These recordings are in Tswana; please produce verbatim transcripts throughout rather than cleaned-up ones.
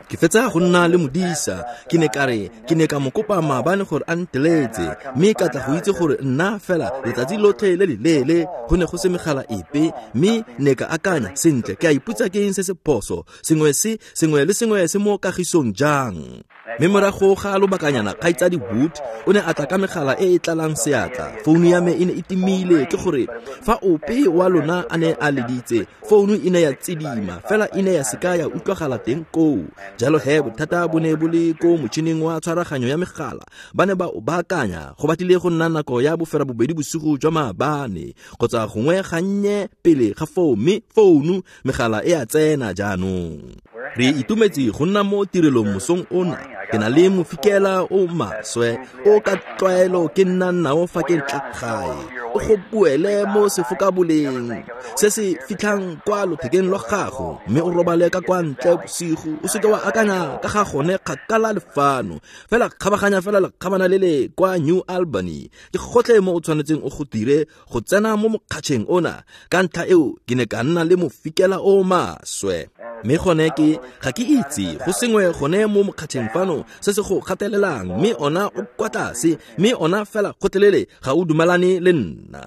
Ke fetsa go nna le modisa, ke ne ka re ke ne ka mo kopa maabane gore a nteletse, mme ka tla go itse gore nna fela letsatsi lotlhe le le leele go ne go se megala epe, mme ne ka akanya sentle, ke a ipotsa ke eng se se phoso, sengwe se sengwe le sengwe se mo kagisong jang. Mme morago ga lobakanyana kgaitsadi Wood o ne a tla ka megala e e tlalang seatla. Founu ya me e ne e timile, ke gore fa ope wa lona a ne a leditse, founu e ne ya tsidima fela e ne ya seka ya utlwagala teng koo. Jalo he bothata bo ne bo le ko motšhining wa tshwaraganyo ya megala, ba ne ba o baakanya go batlile go nna nako ya boferabobedi bosigo jwa maabane kgotsa gongwe gannye pele ga foo, mme founu megala e a tsena jaanong. Re itumetse go nna mo tirelong mosong ona. Ke na le mofikela o maswe o ka tlwaelo ke nna nao fa ke tla gae, o go boele mo sefokaboleng se se fitlhang kwa lothekeng lwa gago, mme o robale ka kwa ntle bosigo, o seke wa akanya ka ga gone kgakala le fano fela, kgabaganya fela lekgabana le le kwa New Albany. Ke gotlhe mo o tshwanetseng o go dire go tsena mo mokgatšheng ona. Ka ntlha eo ke ne ka nna le mofikela o maswe, mme gone ke ga ke itse go sengwe gone mo mokgatšheng fano se se go gatelelang, mme ona o kwa tlase, mme ona fela gotlhelele ga o dumelane le nna.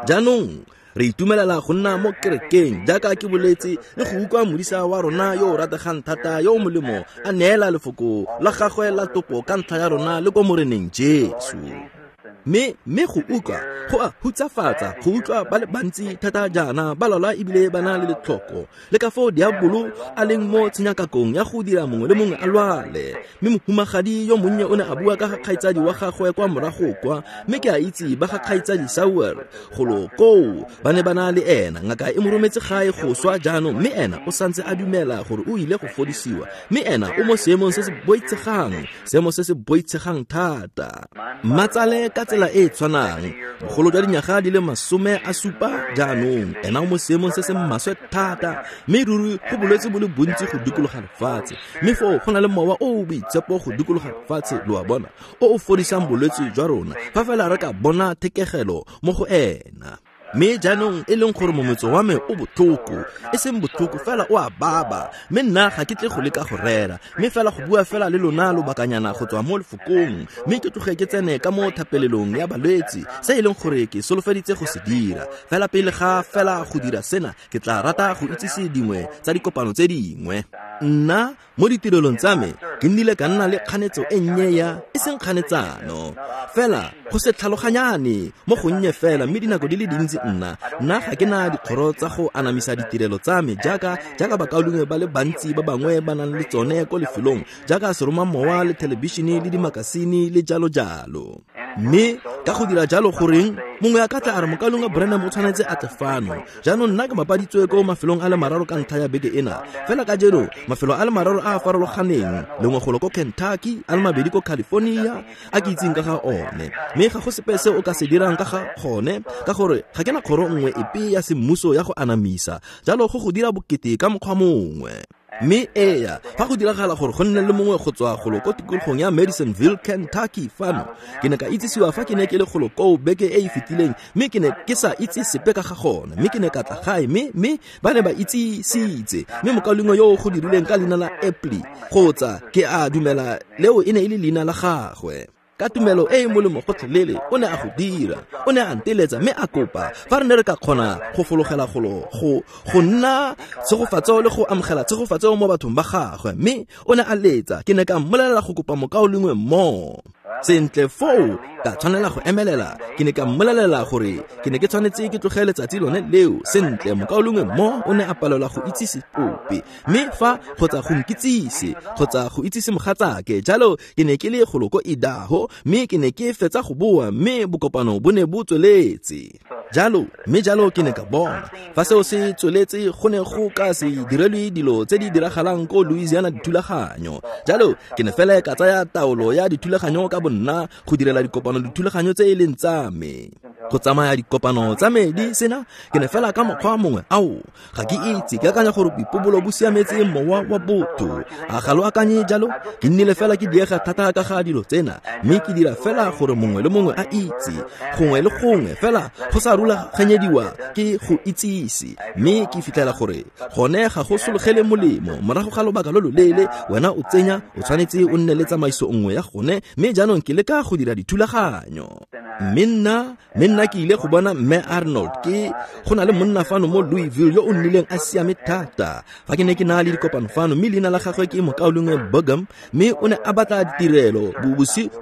Jaanong re itumelela go nna mo kerekeng jaaka ke boletse, le go utlwa modisa wa rona yo o rategang thata yo o molemo a neela lefoko la gagwe la topo ka ntlha ya rona le ko Moreneng Jesu. Mme mme go utlwa go a hutsafatsa go utlwa ba le bantsi thata jaana ba lwala ebile ba na le letlhoko, le ka foo diabolo a leng mo tshenyakakong ya go dira mongwe le mongwe a lwale. Mme mohumagadi yo monnye o ne a bua ka ga kgaitsadi wa gagwe kwa morago kwa, mme ke a itse ba ga kgaitsadi Sauer golo koo ba ne ba na le ena, ngaka e mo rometse gae go swa jaanong, mme ena o santse a dumela gore o ile go fodisiwa, mme ena o mo seemong se se boitshegang, seemo se se boitshegang thata. Mmatsale ka tsela e e tshwanang, bogolo jwa dinyaga di le masome a supa jaanong, ena o mo seemong se se maswe thata, mme ruri go bolwetse bo le bontsi go dikologa lefatshe, mme foo go na le mowa o o boitshepo go dikologa lefatshe, lo a bona, o o fodisang bolwetse jwa rona fa fela re ka bona thekegelo mo go ena. Mme jaanong e leng gore mometso wa me o botlhoko, e seng botlhoko fela o a baba, mme nna ga ke tle go leka go rera, mme fela go bua fela le lona lobakanyana go tswa mo lefokong, mme ke tloge ke tsene ka mo thapelelong ya balwetse, se e leng gore ke solofeditse go se dira. Fela pele ga fela go dira sena, ke tla rata go itsise dingwe tsa dikopano tse dingwe. Nna mo ditirelong tsa me ke nnile ka nna le kganetso e nnye ya e seng kganetsano fela go se tlhaloganyane mo gonnye fela, mme dinako di le dintsi nna nna ga ke na dikgoro tsa go anamisa ditirelo tsa me jaaka jaaka bakaulengwe ba le bantsi ba bangwe ba nang le tsone ko lefelong, jaaka seromamowa le thelebišene le dimakasine le jalo jalo. Mme ka go dira jalo goreng mongwe a ka tla a re mokaulengwe Branham o tshwanetse a tle fano. Jaanong nna ke mapaditswe ko mafelong a le mararo ka ntlha ya beke ena, fela ka jeno mafelo a le mararo a a farologaneng, lengwe golo ko Kentucky, a le mabedi ko California a ke itseng ka ga one, mme ga go sepe se o ka se dirang ka ga gone, ka gore ga ke na kgoro nngwe epe ya semmuso ya go anamisa, jalo go go dira bokete ka mokgwa mongwe. Mme eya, fa go diragala gore go nne le mongwe go tswa golo ko tikologong ya Madisonville, Kentucky fano, ke ne ka itsisiwa fa ke ne ke le golo koo beke e e fetileng, mme ke ne ke sa itse sepe ka ga gone, mme ke ne ka tla gae, mme mme ba ne ba itsisitse, mme mokaulengwe yo o go dirileng ka leina la Epley, kgotsa ke a dumela leo e ne e le leina la gagwe, ka tumelo e e molemo gotlhelele o ne a go dira, o ne a nteletsa mme a kopa fa re ne re ka kgona go fologela golo go go nna tshegofatso le go amogela tshegofatso mo bathong ba gagwe, mme o ne a letsa, ke ne ka mmolelela go kopa mokaulengwe mo. Sentle foo ka tshwanela go emelela, ke ne ka mmolelela gore ke ne ke tshwanetse ke tloge letsatsi lone leo. Sentle mokaulengwe mo o ne a palelwa go itsise ope, mme fa kgotsa go nkitsise kgotsa go itsise mogatsake, jalo ke ne ke le golo ko Idaho, mme ke ne ke fetsa go boa, mme bokopano bo ne bo tsweletse jalo, mme jalo ke ne ka bona fa seo se tsweletse go ne go ka se direlwe dilo tse di diragalang ko Louisiana dithulaganyo. Jalo ke ne fela ka tsaya taolo ya dithulaganyo ka bonna go direla dikopano dithulaganyo tse e leng tsa me. Go tsamaya dikopano tsa me di sena ke ne fela ka mokgwa mongwe ao ga ke itse ke akanya gore boipobolo bo siametse mowa wa botho a ga lo akanye jalo ke nnile fela ke diega thata ka ga dilo tsena mme ke dira fela gore mongwe le mongwe a itse gongwe le gongwe fela go sa rulaganyediwa ke go itsise mme ke fitlhela gore gone ga go sologele molemo morago ga lobaka lo loleele wena o tsenya o tshwanetse o nne le tsamaiso nngwe ya gone mme jaanong ke leka go dira dithulaganyo mme nna mme nna ke ile go bona mme Arnold ke go na le monna fano mo Louisville yo o nnileng a siame thata fa ke ne ke na le dikopano fano mme leina la gagwe ke mokaulengwe Burgum mme o ne a batla ditirelo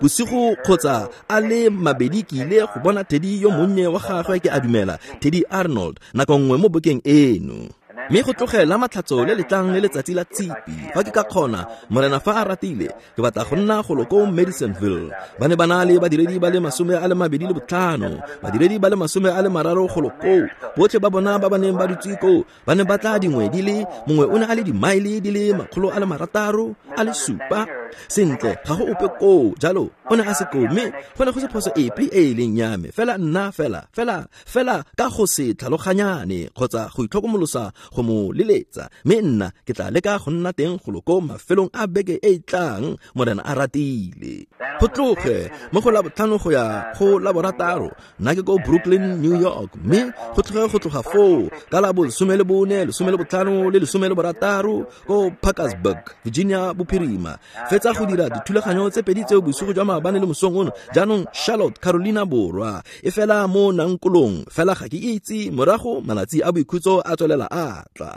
bosigo kgotsa a le mabedi ke ile go bona Teddy yo monnye wa gagwe ke a dumela Teddy Arnold nako nngwe mo bokeng eno mme go tlogela matlhatso le letlang le letsatsi la tshipi fa ke ka kgona morena fa a ratile ke batla go nna golo ko Madisonville ba ne ba na le badiredi ba le masome a le mabedi le botlhano badiredi ba le masome a le mararo golo koo botlhe ba bona ba ba neng ba dutse koo ba ne ba tla dingwe di le mongwe o ne a le dimaele di le makgolo a le marataro a le supa sentle ga go ope koo jalo o ne a se koo mme go ne go se phoso epe e e leng ya me fela nna fela fela fela ka go se tlhaloganyane kgotsa go itlhokomolosa go mo leletsa mme nna ke tla leka go nna teng golo ko mafelong a beke e e tlang morena a ratile go tloge mo go la botlhano go ya go la borataro nna ke ko Brooklyn New York mme go tloge go tloga foo ka la bolesome le bone lesome le botlhano le lesome le borataro ko Parkersburg Virginia bophirima fetsa go dira dithulaganyo tse pedi tseo bosigo jwa maabane le mosong ono jaanong Charlotte Carolina borwa e fela mo nankolong fela ga ke itse morago malatsi a boikhutso a tswelela a tla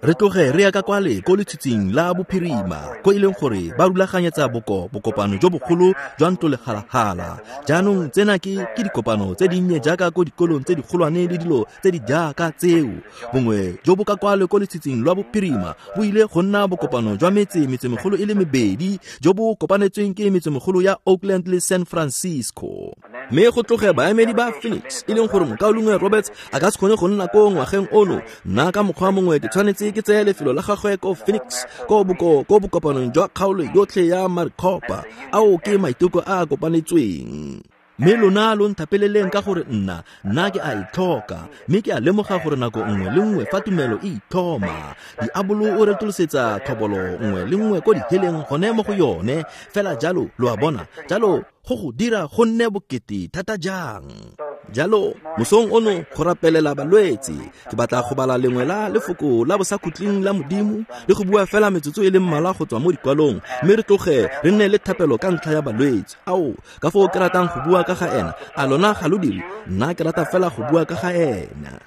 re tloge re ya ka kwale ko letshitsing la bophirima ko e leng gore ba rulaganyetsa boko bokopano jo bogolo jwa ntlo legalagala jaanong tsena ke ke dikopano tse dinnye jaaka ko dikolong tse dikgolwane le dilo tse di jaaka tseo bongwe jo bo ka kwale ko letshitsing lwa bophirima bo ile go nna bokopano jwa metse metsemegolo e le mebedi jo bo kopanetsweng ke metsemegolo ya Oakland le San Francisco mme go tloge baemedi ba Phoenix e leng gore mokaulengwe Roberts a ka se kgone go nna ko ngwageng ono nna ka mokgwa mongwe ke tshwanetse ke tseye lefelo la gagwe ko Phoenix ko boko ko bokopanong jwa kgaolo yotlhe ya Maricopa ao ke maiteko a a kopanetsweng mme lona lo nthapeleleng ka gore nna nna ke a itlhoka mme ke a lemoga gore nako nngwe le nngwe fa tumelo e ithoma diabolo o retolosetsa thobolo nngwe le nngwe ko diheleng gone mo go yone fela jalo lo a bona jalo go go dira go nne bokete thata jang jalo mosong ono go rapelela balwetse ke batla go bala lengwe la lefoko la bosakhutleng la modimo le go bua fela metsotso e le mmalwa go tswa mo dikwalong mme re tloge re nne le thapelo ka ntlha ya balwetse ao ka foo ke ratang go bua ka ga ena a lona ga lo dire nna ke rata fela go bua ka ga ena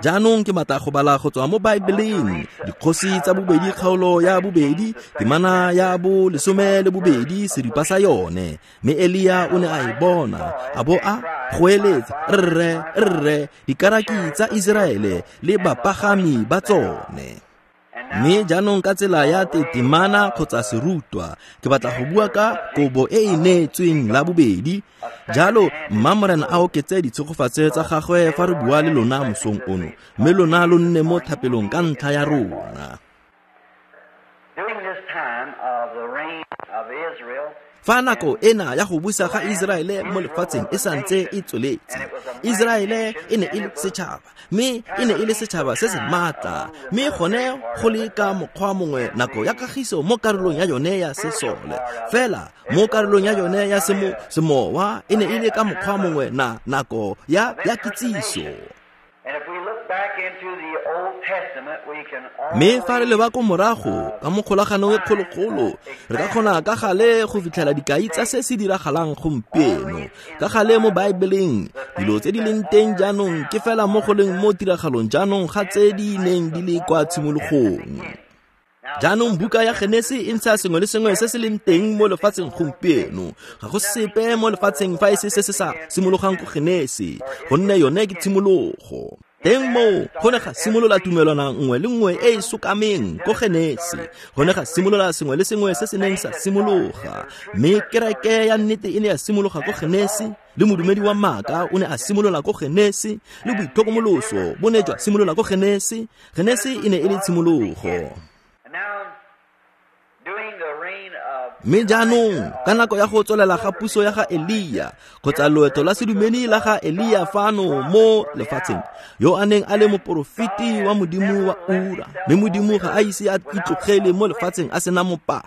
jaanong ke batla go bala go tswa mo Baebeleng dikgosi tsa bobedi kgaolo ya bobedi temana ya bo lesome le bobedi seripa sa yone mme Elia o ne a e bona a bo a goeletsa rre rre dikaraki tsa Iseraele le bapagami ba tsone mme jaanong ka tsela ya tetemana kgotsa serutwa ke batla go bua ka kobo e e neetsweng la bobedi jalo mma morena a oketse ditshegofatso tsa gagwe fa re bua le lona mosong ono mme lona lo nne mo thapelong ka ntlha ya rona fa nako ena ya go busa ga Iseraele mo lefatsheng e santse e tsweletse Iseraele e ne e le setšhaba mme e ne e le setšhaba se se maatla mme gone go le ka mokgwa mongwe nako ya kagiso mo karolong ya yone ya sesole fela mo karolong ya yone ya semo semowa e ne e le ka mokgwa mongwe na nako ya ya kitsiso mme fa re leba ko morago ka mo kgolaganong e kgologolo re ka kgona ka gale go fitlhela dikai tsa se se diragalang gompieno ka gale mo Baebeleng dilo tse di leng teng jaanong ke fela mo go leng mo tiragalong jaanong ga tse di neng di le kwa tshimologong jaanong buka ya Genese e ntsha sengwe le sengwe se se leng teng mo lefatsheng gompieno ga go sepe mo lefatsheng fa e se se se sa simologang ko Genese gonne yone ke tshimologo teng moo go ne ga simolola tumelwana nngwe le nngwe e e sokameng ko Genese go ne ga simolola sengwe le sengwe se se neng sa simologa mme kereke ya nnete e ne ya simologa ko Genese le modumedi wa maaka o ne a simolola ko Genese le boitlhokomoloso bo ne jwa simolola ko Genese Genese e ne e le tshimologo Mme jaanong ka nako ya go tswelela ga puso ya ga Elia kgotsa loeto la sedumedi la ga Elia fano mo lefatsheng, yo a neng a le moporofeti wa Modimo wa ura, mme Modimo ga a ise a itlogele mo lefatsheng a sena mopaki.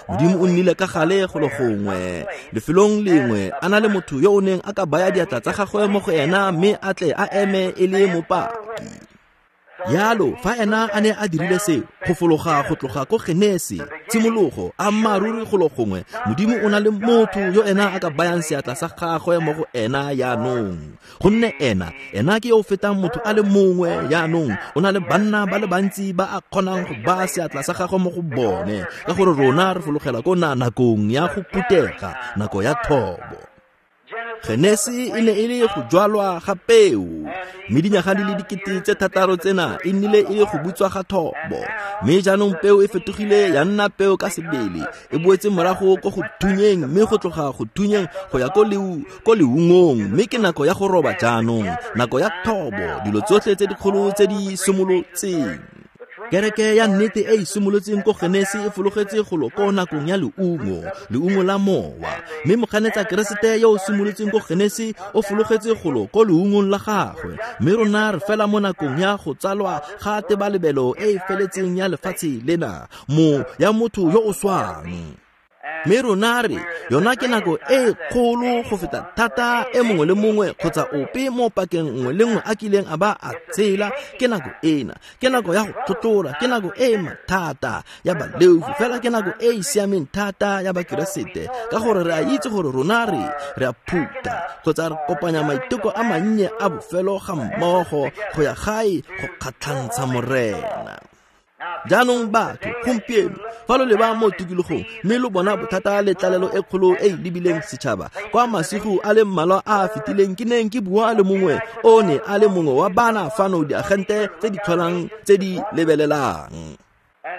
Modimo o nnile ka gale golo gongwe lefelong lengwe a na le motho yo o neng a ka baya diatla tsa gagwe mo go ena mme a tle a eme e le mopaki. Yalo fa ena a ne a dirile seo go fologa go tloga ko Genesi tshimologo a mmaruri golo gongwe, Modimo o na le motho yo ena a ka bayang seatla sa gagwe mo go ena yaanong, gonne ena ena ke yo o fetang motho a le mongwe yaanong. O na le banna ba le bantsi ba a kgonang go baya seatla sa gagwe mo go bone, ka gore rona re fologela ko na nakong ya go putega, nako ya thobo. Genesi e ne e le go jwalwa ga peo, mme dinyaga di le dikete tse thataro tsena e nnile e le go butswa ga thobo. Mme jaanong peo e fetogile ya nna peo ka sebele, e boetse morago ko go thunyeng, mme go tloga go thunyeng go ya ko leu ko leungong, mme ke nako ya go roba jaanong, nako ya thobo, dilo tsotlhe tse dikgolo tse di simolotseng. Kereke ya nnete e e simolotseng ko Genesi e fologetse golo ko nakong ya leungo, leungo la mowa. Mme moganetsa Keresete yo o simolotseng ko Genesi o fologetse golo ko leungong la gagwe. Mme rona re fela mo nakong ya go tsalwa ga tebalebelo e e feletseng ya lefatshe lena, mo ya motho yo o swang. Mme rona re yona ke nako e kgolo go feta thata e mongwe le mongwe kgotsa ope mo pakeng nngwe le nngwe a kileng a ba a tshela. Ke nako ena, ke nako ya go tlhotlhora, ke nako e mathata ya baleofi, fela ke nako e e siameng thata ya Bakeresete, ka gore re a itse gore rona re re a phutha kgotsa re kopanya maiteko a mannye a bofelo ga mmogo go ya gae go kgatlhantsha Morena. Jaanong batho gompieno fa lo leba mo tikologong mme lo bona bothata le tlalelo e kgolo e e lebileng setšhaba, kwa masigo a le mmalwa a a fetileng ke neng ke bua le mongwe o ne a le mongwe wa bana fano diagente tse di tlholang tse di lebelelang.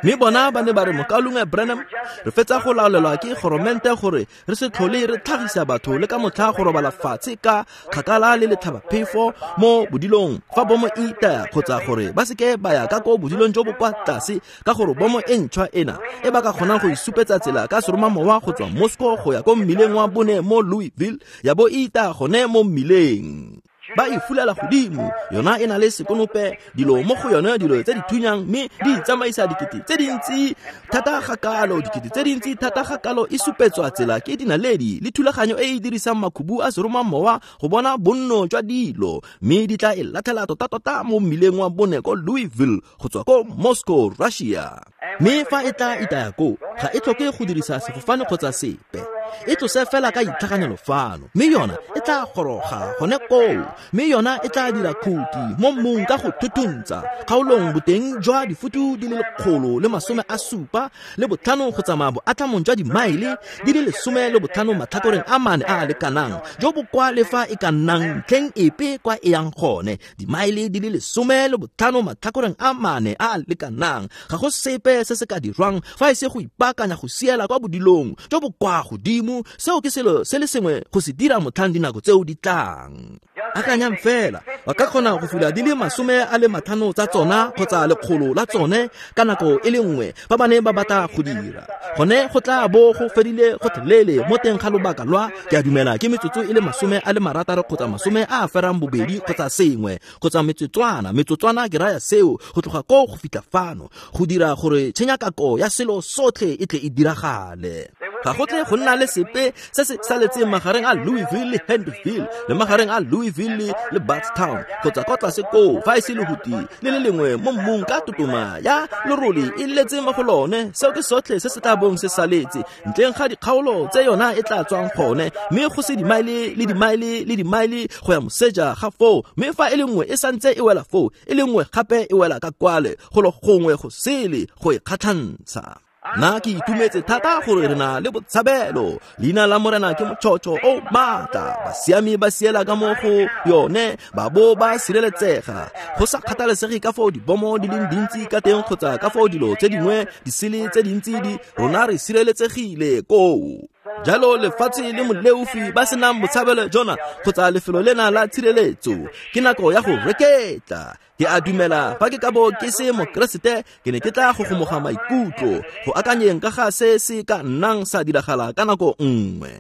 Mme bona ba ne ba re, Mokaulengwe Branham, re fetsa go laolelwa ke goromente gore re se tlhole re tlhagisa batho le ka motlha go robala fatshe ka kgakala le letlhabaphefo mo bodilong fa bomo e itaya, kgotsa gore ba seke ba ya ka ko bodilong jo bo kwa tlase, ka gore bomo e ntšhwa ena e ba ka kgonang go isupetsa tsela ka seromamowa go tswa Moscow go ya ko mmileng wa bone mo Louisville, ya bo e itaya gone mo mmileng. Ba e fulela godimo, yona e na le sekonope, dilo mo go yone, dilo tse di thunyang, mme di tsamaisa dikete tse dintsi thata ga kalo, dikete tse dintsi thata ga kalo e supetswa tsela ke dinaledi le thulaganyo e e dirisang makhubu a seromamowa go bona bonno jwa dilo, mme di tla e latlhela tota-tota mo mmileng wa bone ko Louisville go tswa ko Moscow, Russia. Mme fa e tla itaya koo, ga e tlhoke go dirisa sefofane kgotsa sepe, e tlose fela ka itlhaganelo fano, mme yona e tla goroga gone koo, mme yona e tla dira khuti mo mmung ka go thuthuntsa kgaolong boteng jwa difutu di le lekgolo le masome a supa le botlhano go tsamaya boatlhamong jwa dimaele di le lesome le botlhano matlhakoreng a mane a a lekanang, jo bo kwa le fa e ka nnang ntlheng epe kwa e yang gone, dimaele di le lesome le botlhano matlhakoreng a mane a a lekanang. Ga go sepe se se ka dirwang fa e se go ipaakanya go siela kwa bodilong jo bo kwa godimo. Seo ke selo se le sengwe go se dira motlhang dinako tseo di tlang. Akanyang fela, ba ka kgona go fula di le masome a le matlhano tsa tsona kgotsa lekgolo la tsone ka nako e le nngwe fa ba ne ba batla go dira. Gone go tla bo go fedile gotlhelele mo teng ga lobaka lwa, ke a dumela ke metsotso e le masome a le marataro kgotsa masome a a ferang bobedi kgotsa sengwe kgotsa metsotswana, metsotswana ke raya seo, go tloga koo go fitlha fano, go dira gore tshenyakako ya selo sotlhe e tle e diragale. Ga go tle go nna le sepe se se saletseng magareng a Louisville le Henryville le magareng a Louisville le Bardstown kgotsa kwa tlase koo, fa e se lehuti le le lengwe mo mmung ka totoma ya lerole e letse mo go lone. Seo ke sotlhe se se tla bong se saletse ntleng ga dikgaolo tse yona e tla tswang gone, mme go se dimaele le dimaele le dimaele go ya moseja ga foo. Mme fa e le nngwe e santse e wela foo, e le nngwe gape e wela ka kwale golo gongwe go sele go e kgatlhantsha. Nna ke itumetse thata gore re na le botshabelo. Leina la Morena ke motšhotšho o maatla, basiami ba siela ka mo go yone ba bo ba sireletsega. Go sa kgathalesege ka foo dibomo di leng dintsi ka teng kgotsa ka foo dilo tse dingwe di sele tse dintsi di, rona re sireletsegile koo. Jalo lefatshe le moleofi ba senang botshabelo jona kgotsa lefelo lena la tshireletso, ke nako ya go reketla. Ke a dumela fa ke ka bo ke se mokeresete, ke ne ke tla gogomoga maikutlo go akanyeng ka ga se se ka nnang sa diragala ka nako nngwe.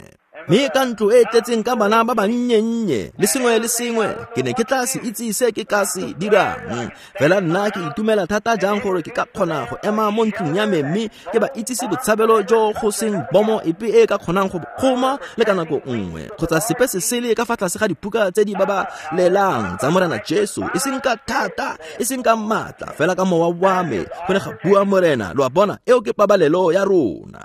Mme ka ntlo e tletseng ka bana ba bannyennye le sengwe le sengwe, ke ne ke tla se itse se ke ka se dirang. Fela nna ke itumela thata jang gore ke ka kgona go ema mo ntlong ya me mme ke ba itsise botshabelo jo go seng bomo epe e ka kgonang go kgoma le ka nako nngwe, kgotsa sepe se sele ka fa tlase ga dipuka tse di babalelang tsa Morena Jesu, e seng ka thata, e seng ka maatla, fela ka mowa wa me, go ne ga bua Morena. Lo a bona, eo ke pabalelo ya rona.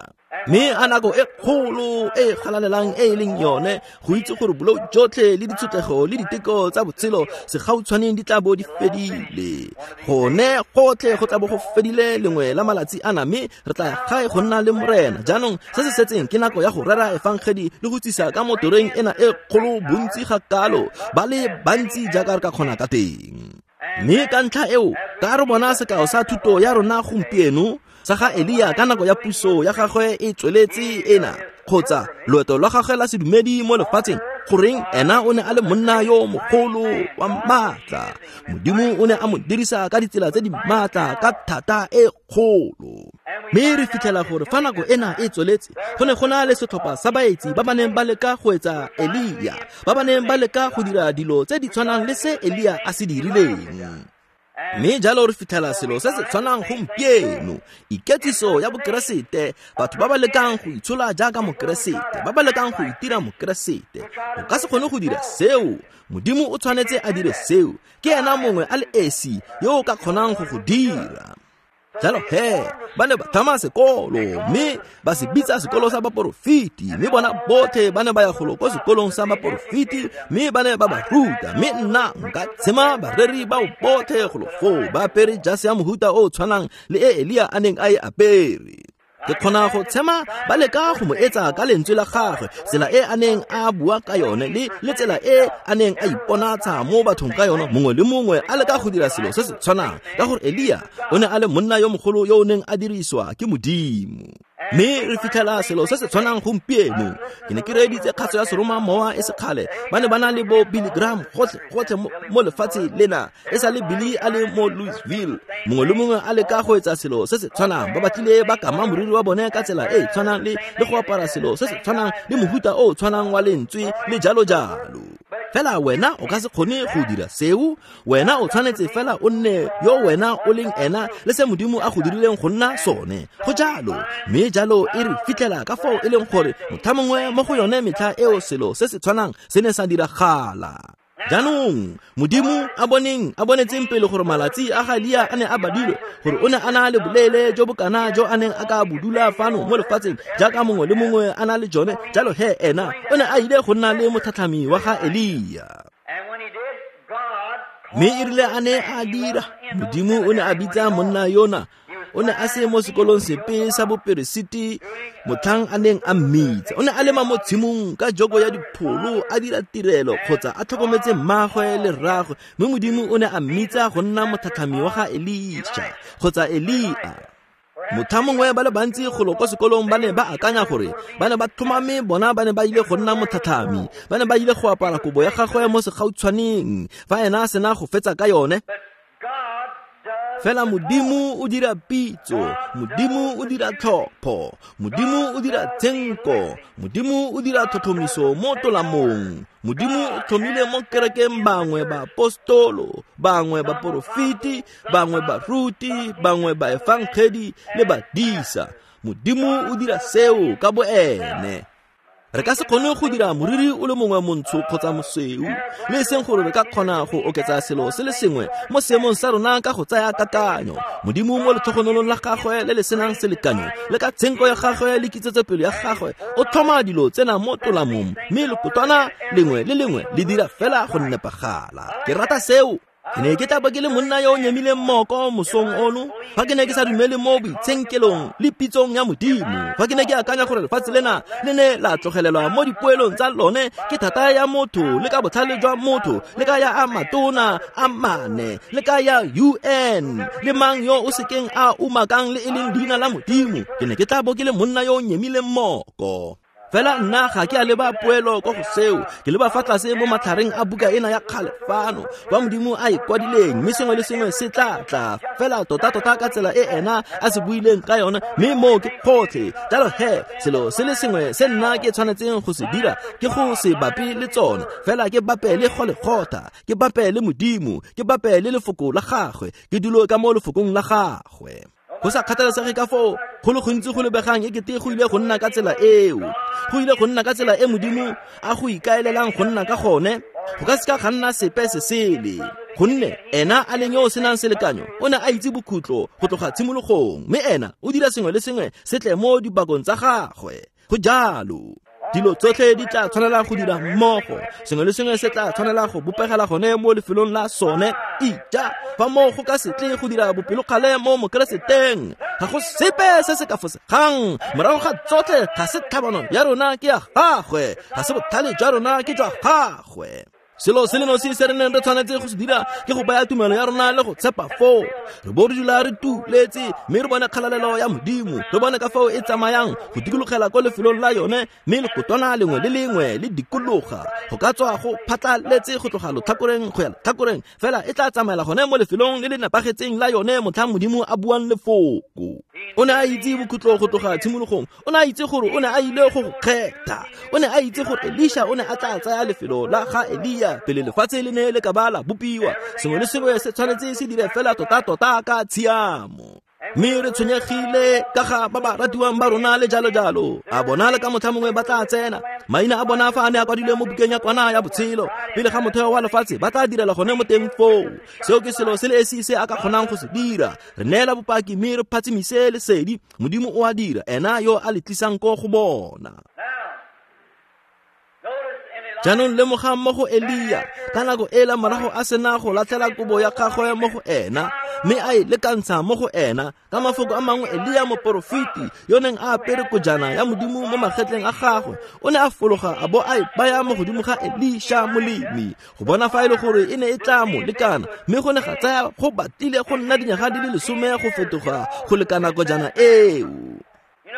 Mme a nako e kgolo e galalelang e e leng yone go itse gore bolou jotlhe le ditshotlego le diteko tsa botshelo segautshwaneng di tla bo di fedile. Gone gotlhe go tla bo go fedile lengwe la malatsi ana, mme re tla ya gae go nna le Morena. Jaanong se se setseng ke nako ya go rera efangedi le go tsisa ka motoreng ena e kgolo bontsi ga kalo, ba le bantsi jaaka re ka kgona ka teng. Mme ka ntlha eo ka re bona sekao sa thuto ya rona gompieno sa ga Elia ka nako ya puso ya gagwe e tsweletse ena, kgotsa loeto lwa gagwe la sedumedi mo lefatsheng, goreng ena o ne a le monna yo mogolo wa maatla. Modimo o ne a mo dirisa ka ditsela tse di maatla ka thata e kgolo. Mme re fitlhela gore fa nako ena e tsweletse, go ne go na le setlhopha sa baetsi ba ba neng ba leka go etsa Elia, ba ba neng ba leka go dira dilo tse di tshwanang le se Elia a se dirileng. Mme jalo re fitlhela selo se se tshwanang gompieno, iketsiso ya bokeresete, batho ba ba lekang go itshola jaaka mokeresete, ba ba lekang go itira mokeresete. O ka se kgone go dira seo. Modimo o tshwanetse a dire seo. Ke ena mongwe a le esi yo o ka kgonang go go dira. Jalo he, ba ne ba tlhama sekolo, mme ba se bitsa sekolo sa baporofeti, mme bona botlhe ba ne ba ya golo ko sekolong sa baporofeti, mme ba ne ba ba ruta. Mme nna nka tshema bareri bao botlhe golo foo ba apere jase ya mohuta o o tshwanang le e Elia a neng a e apere. Ke kgona go tshema ba leka go mo etsa ka lentswe la gagwe, tsela e a neng a bua ka yone le le tsela e a neng a iponatsha mo bathong ka yone. Mongwe le mongwe a leka go dira selo se se tshwanang, ka gore Elia o ne a le monna yo mogolo yo o neng a diriswa ke Modimo. Mme re fitlhela selo se se tshwanang gompieno. Ke ne ke reeditse kgaso ya seromamowa e sekgale, ba ne ba na le bo Billy Graham gotlhe gotlhe mo lefatshe lena, e sa le Billy a le mo Louisville. Mongwe le mongwe a leka go etsa selo se se tshwanang, ba batlile ba kama moriri wa bone ka tsela e e tshwanang le le go apara selo se se tshwanang le mohuta o o tshwanang wa lentswe le jalo jalo. Fela wena o ka se kgone go dira seo. Wena o tshwanetse fela o nne yo wena o leng ena le se Modimo a go dirileng go nna sone. Go jalo. Mme jalo e re fitlhela ka fao e leng gore motlha mongwe mo go yone metlha eo selo se se tshwanang se ne sa diragala. Jaanong Modimo a boneng a bonetseng pele gore malatsi a ga Elia a ne a badilwe, gore o ne a na le boleele jo bokana jo a neng a ka bodula fano mo lefatsheng jaaka mongwe le mongwe a na le jone, jalo he ena o ne a ile go nna le motlhatlhami wa ga Elia. Mme e rile a ne a dira, Modimo o ne a bitsa monna yona. O ne a se mo sekolong sepe sa boperesiti motlhang a neng a mmitsa. O ne a lema mo tshimong ka joko ya dipholo, a dira tirelo kgotsa a tlhokometse mmagwe le rragwe. Mme Modimo o ne a mmitsa go nna motlhatlhami wa ga Elisha kgotsa Elia. Motlha mongwe ba le bantsi golo ko sekolong ba ne ba akanya gore ba ne ba tlhomame bona ba ne ba ile go nna motlhatlhami, ba ne ba ile go apara kobo ya gagwe mo segautshwaneng fa ena a sena go fetsa ka yone. Fela Modimo o dira pitso, Modimo o dira tlhopho, Modimo o dira tshenko, Modimo o dira tlhotlhomiso mo tolamong. Modimo o tlhomile mo kerekeng bangwe ba apostolo, bangwe ba porofeti, bangwe baruti, bangwe ba efangedi le badisa. Modimo o dira seo ka boene. Re ka se kgone go dira moriri o le mongwe montsho kgotsa mosweu, le e seng gore re ka kgona go oketsa selo se le sengwe mo seemong sa rona ka go tsaya kakanyo. Modimo mo letlhogonolong la gagwe le le senang selekanyo, le ka tshenko ya gagwe le kitsetsepelo ya gagwe, o tlhoma dilo tsena mo tolamong, mme lekotwana lengwe le lengwe le dira fela go nepagala. Ke rata seo. Ke ne ke tla bo ke le monna yo o nyemileng moko mosong ono fa ke ne ke sa dumele mo boitshenkelong le pitsong ya Modimo, fa ke ne ke akanya gore lefatshe lena le ne la tlogelelwa mo dipoelong tsa lone ke thata ya motho le ka botlhale jwa motho le ka ya a matona a mane le ka ya U N le mang yo o sekeng a umakang le e leng leina la Modimo, ke ne ke tla bo ke le monna yo o nyemileng moko. Fela nna ga ke a leba poelo ko go seo, ke leba fa tlase mo matlhareng a buka ena ya kgale fano kwa Modimo a e kwadileng, mme sengwe le sengwe se tla tla fela tota-tota ka tsela e ena a se buileng ka yone, mme moo ke gotlhe. Jalo he selo se le sengwe se nna ke tshwanetseng go se dira ke go se bape le tsone, fela ke bape le Golegotha, ke bape le Modimo, ke bape le lefoko la gagwe, ke dulo ka mo lefokong la gagwe. Go sa kgathalesege ka foo go le gontsi go lebegang ekete go ile go nna ka tsela eo, go ile go nna ka tsela e Modimo a go ikaelelang go nna ka gone, go ka seka ga nna sepe se sele. Gonne ena a leng yo o senang selekanyo o ne a itse bokhutlo go tloga tshimologong, mme ena o dira sengwe le sengwe se tle mo dipakong tsa gagwe. Go jalo, dilo tsotlhe di tla tshwanela go dira mmogo, sengwe le sengwe se tla tshwanela go bopegela gone mo lefelong la sone. Ija fa moo go ka se tle go dira bopelokgale mo Mokereseteng, ga go sepe se se ka fosegang. Morago ga tsotlhe, ga se tlhabano ya rona ke ya gagwe, ga se botlhale jwa rona ke jwa gagwe. Selo se le nosi se re neng re tshwanetse go se dira ke go baya tumelo ya rona le go tshepa foo. Re bo re dula re tuletse, mme re bone kgalalelo ya Modimo, re bone ka fao e tsamayang go dikologela ko lefelong la yone, mme lekotwana lengwe le lengwe le dikologa go ka tswa go phatlaletse go tloga lotlhakoreng go ya letlhakoreng, fela e tla tsamaela gone mo lefelong le le nepagetseng la yone motlhang Modimo a buang lefoko. O ne a itse bokhutlo go tloga tshimologong, o ne a itse gore o ne a ile go go kgetha, o ne a itse gore Elisha o ne a tla tsaya lefelo la ga Elia pele lefatshe le ne le ka ba la bopiwa. Sengwe le sengwe se tshwanetse se dire fela tota-tota ka tshiamo. Mme re tshwenyegile ka ga ba ba ratiwang ba rona le jalo-jalo. A bona le ka motlha mongwe ba tla tsena, maina a bona fa a ne a kwadilwe mo bukeng ya kwana ya botshelo pele ga motheo wa lefatshe, ba tla direla gone mo teng foo. Seo ke selo se le esi se a ka kgonang go se dira. Re neela bopaki mme re phatsimise lesedi. Modimo o a dira, ena yo a le tlisang ko go bona. Jaanong lemogang mo go Elia, ka nako ela morago a sena go latlhela kobo ya gagwe mo go ena, mme a e lekantsha mo go ena. Ka mafoko a mangwe, Elia moporofeti yo neng a apere kojana ya Modimo mo magetleng a gagwe, o ne a fologa a bo a e baya mo godimo ga Elisha molemi, go bona fa e le gore e ne e tla mo lekana. Mme go ne ga tsaya go batlile go nna dinyaga di le lesome go fetoga go lekana kojana eo.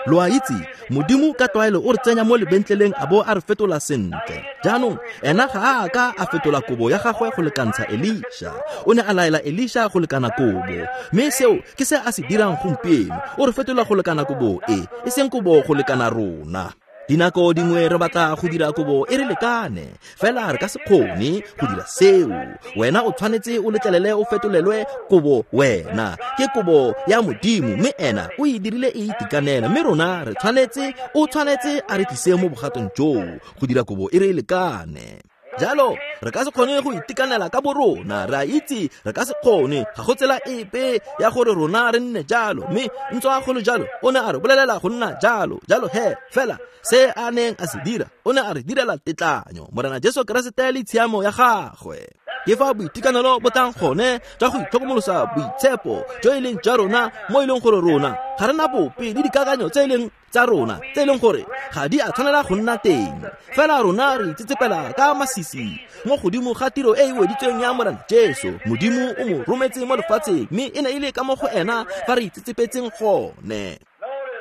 Lo a itse, Modimo ka tlwaelo o re tsenya mo lebentleleng a bo a re fetola sentle. Jaanong ena ga a ka a fetola kobo ya gagwe go lekantsha Elisha, o ne a laela Elisha go lekana kobo, mme seo ke se a se dirang gompieno. O re fetola go lekana kobo e, e seng kobo go lekana rona. Dinako dingwe re batla go dira kobo e re lekane, fela re ka se kgone go dira seo. Wena o tshwanetse o letlelele o fetolelwe kobo wena. Ke kobo ya Modimo, mme ena o e dirile e itekanela, mme rona re tshwanetse, o tshwanetse a re tlise mo bogatong joo go dira kobo e re lekane. Jalo re ka se kgone go itekanela ka borona, re a itse re ka se kgone, ga go tsela epe ya gore rona re nne jalo, mme ntswa go le jalo o ne a re bolelela go nna jalo. Jalo he, fela se a neng a se dira, o ne a re direla tetlanyo, Morena Jesu Keresete le tshiamo ya gagwe. Ke fa boitekanelo bo tlang gone jwa go itlhokomolosa boitshepo jo e leng jwa rona, mo e leng gore rona ga re na bope le dikakanyo tse e leng tsa rona, tse e leng gore ga di a tshwanela go nna teng. Fela rona re itsetsepela ka masisi mo godimo ga tiro e e weditsweng ya Morena Jesu. Modimo o mo rometse mo lefatsheng, mme e ne e le ka mo go ena fa re itsetsepetseng gone.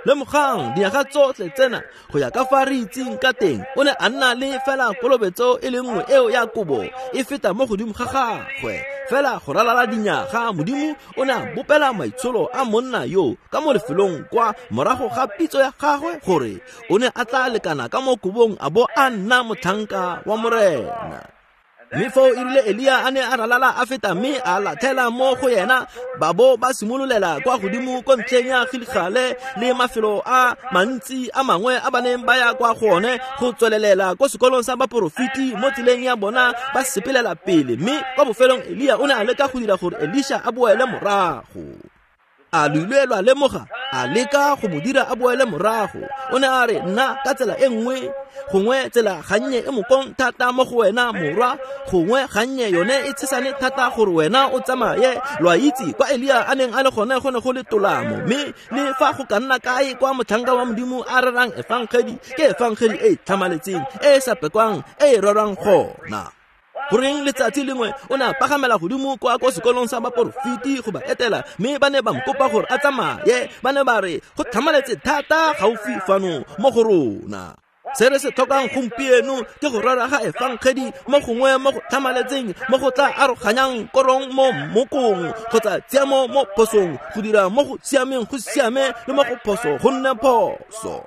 Lemogang dinyaga tsotlhe tsena go ya ka fa re itseng ka teng, o ne a nna le fela kolobetso e le nngwe eo ya kobo e feta mo godimo ga gagwe. Fela go ralala dinyaga, Modimo o ne a bopela maitsholo a monna yo ka mo lefelong kwa morago ga pitso ya gagwe, gore o ne a tla lekana ka mo kobong a bo a nna motlhanka wa Morena. Mme foo e rile Elia a ne a ralala a feta, mme a latlhela mo go yena, ba bo ba simololela kwa godimo ko ntlheng ya Gilegale le mafelo a mantsi a mangwe a ba neng ba ya kwa go one go tswelelela ko sekolong sa baporofeti mo tseleng ya bona ba sepelela pele. Mme kwa bofelong Elia o ne a leka go dira gore Elisha a boele morago. A lo ile lwa lemoga, a leka go mo dira a boele morago. O ne a re, nna ka tsela e nngwe, gongwe tsela gannye e mokong thata mo go wena morwa, gongwe gannye yone e tshesane thata gore wena o tsamaye. Lo a itse kwa Elia a neng a le gone go ne go le tolamo, mme le fa go ka nna kae kwa motlhanka wa Modimo a rerang efangedi, ke efangedi e e tlhamaletseng, e e sa pekwang, e e rerwang gona. Goreng letsatsi lengwe o ne a pagamela godimo kwa ko sekolong sa baporofeti go ba etela, mme ba ne ba mokopa gore a tsamaye. Ba ne ba re go tlhamaletse thata gaufi fano mo go rona. Se re se tlhokang gompieno ke go rera ga efangedi mo gongwe mo go tlhamaletseng mo go tla aroganyang korong mo mmokong kgotsa tshiamo mo phosong, go dira mo go siameng go siame le mo go phoso go nne phoso.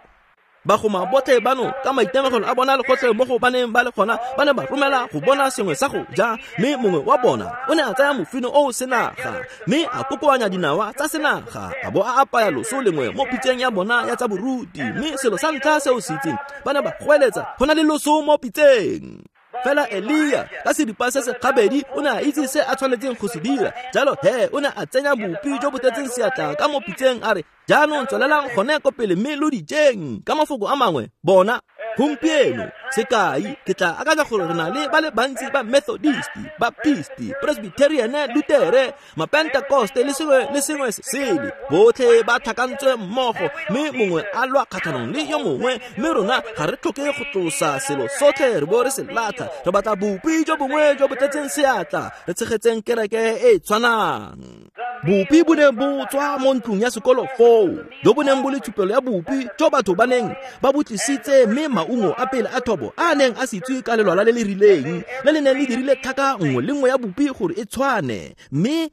Bagoma botlhe bano ka maitemogelo a bona le gotlhe mo go baneng ba le gona ba ne ba romela go bona sengwe sa go ja, mme mongwe wa bona o ne a tsaya mofino o o senaga mme a kokoanya dinawa tsa senaga a bo a apaya loso lengwe mo pitseng ya bona ya tsa boruti. Mme selo sa ntlha se o se itseng, ba ne ba goeletsa, go na le loso mo pitseng. Fela Elia ka seripa se se gabedi o ne a itse se a tshwanetseng go se dira. Jalo he o ne a tsenya bopi jo bo tletseng seatla ka mo pitseng a re, jaanong tswelelang gone ko pele mme lo dijeng. Ka mafoko a mangwe, bona gompieno sekai ke tla akanya gore re na le ba le bantsi ba Methodist, Baptist, Presbyterian, Lutere, Mapentecoste le sengwe le sengwe se sele, botlhe ba tlhakantswe mmogo mme mongwe a lwa kgatlhanong le yo mongwe. Mme rona ga re tlhoke go tlosa selo sotlhe re bo re se latlha, re batla bopi jo bongwe jo bo tletseng seatla, re tshegetseng kereke e e tshwanang. Bopi bo ne bo tswa mo ntlong ya sekolo foo, jo bo neng bo le tshupelo ya bopi jo batho ba neng ba bo tlisitse, mme maungo a pele a thobo a neng a sitswe ka lelwala le le rileng le le neng le dirile tlhaka nngwe le nngwe ya bopi gore e tshwane. Mme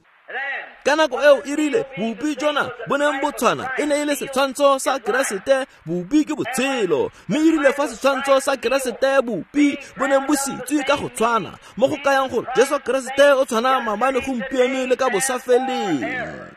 ka nako eo e rile bopi jona bo neng bo tshwana e ne e le setshwantsho sa Keresete, bopi ke botshelo. Mme e rile fa setshwantsho sa Keresete bopi bo neng bo sitswe ka go tshwana, mo go kayang gore Jesu Keresete o tshwana maabane, gompieno le ka bosafeleng.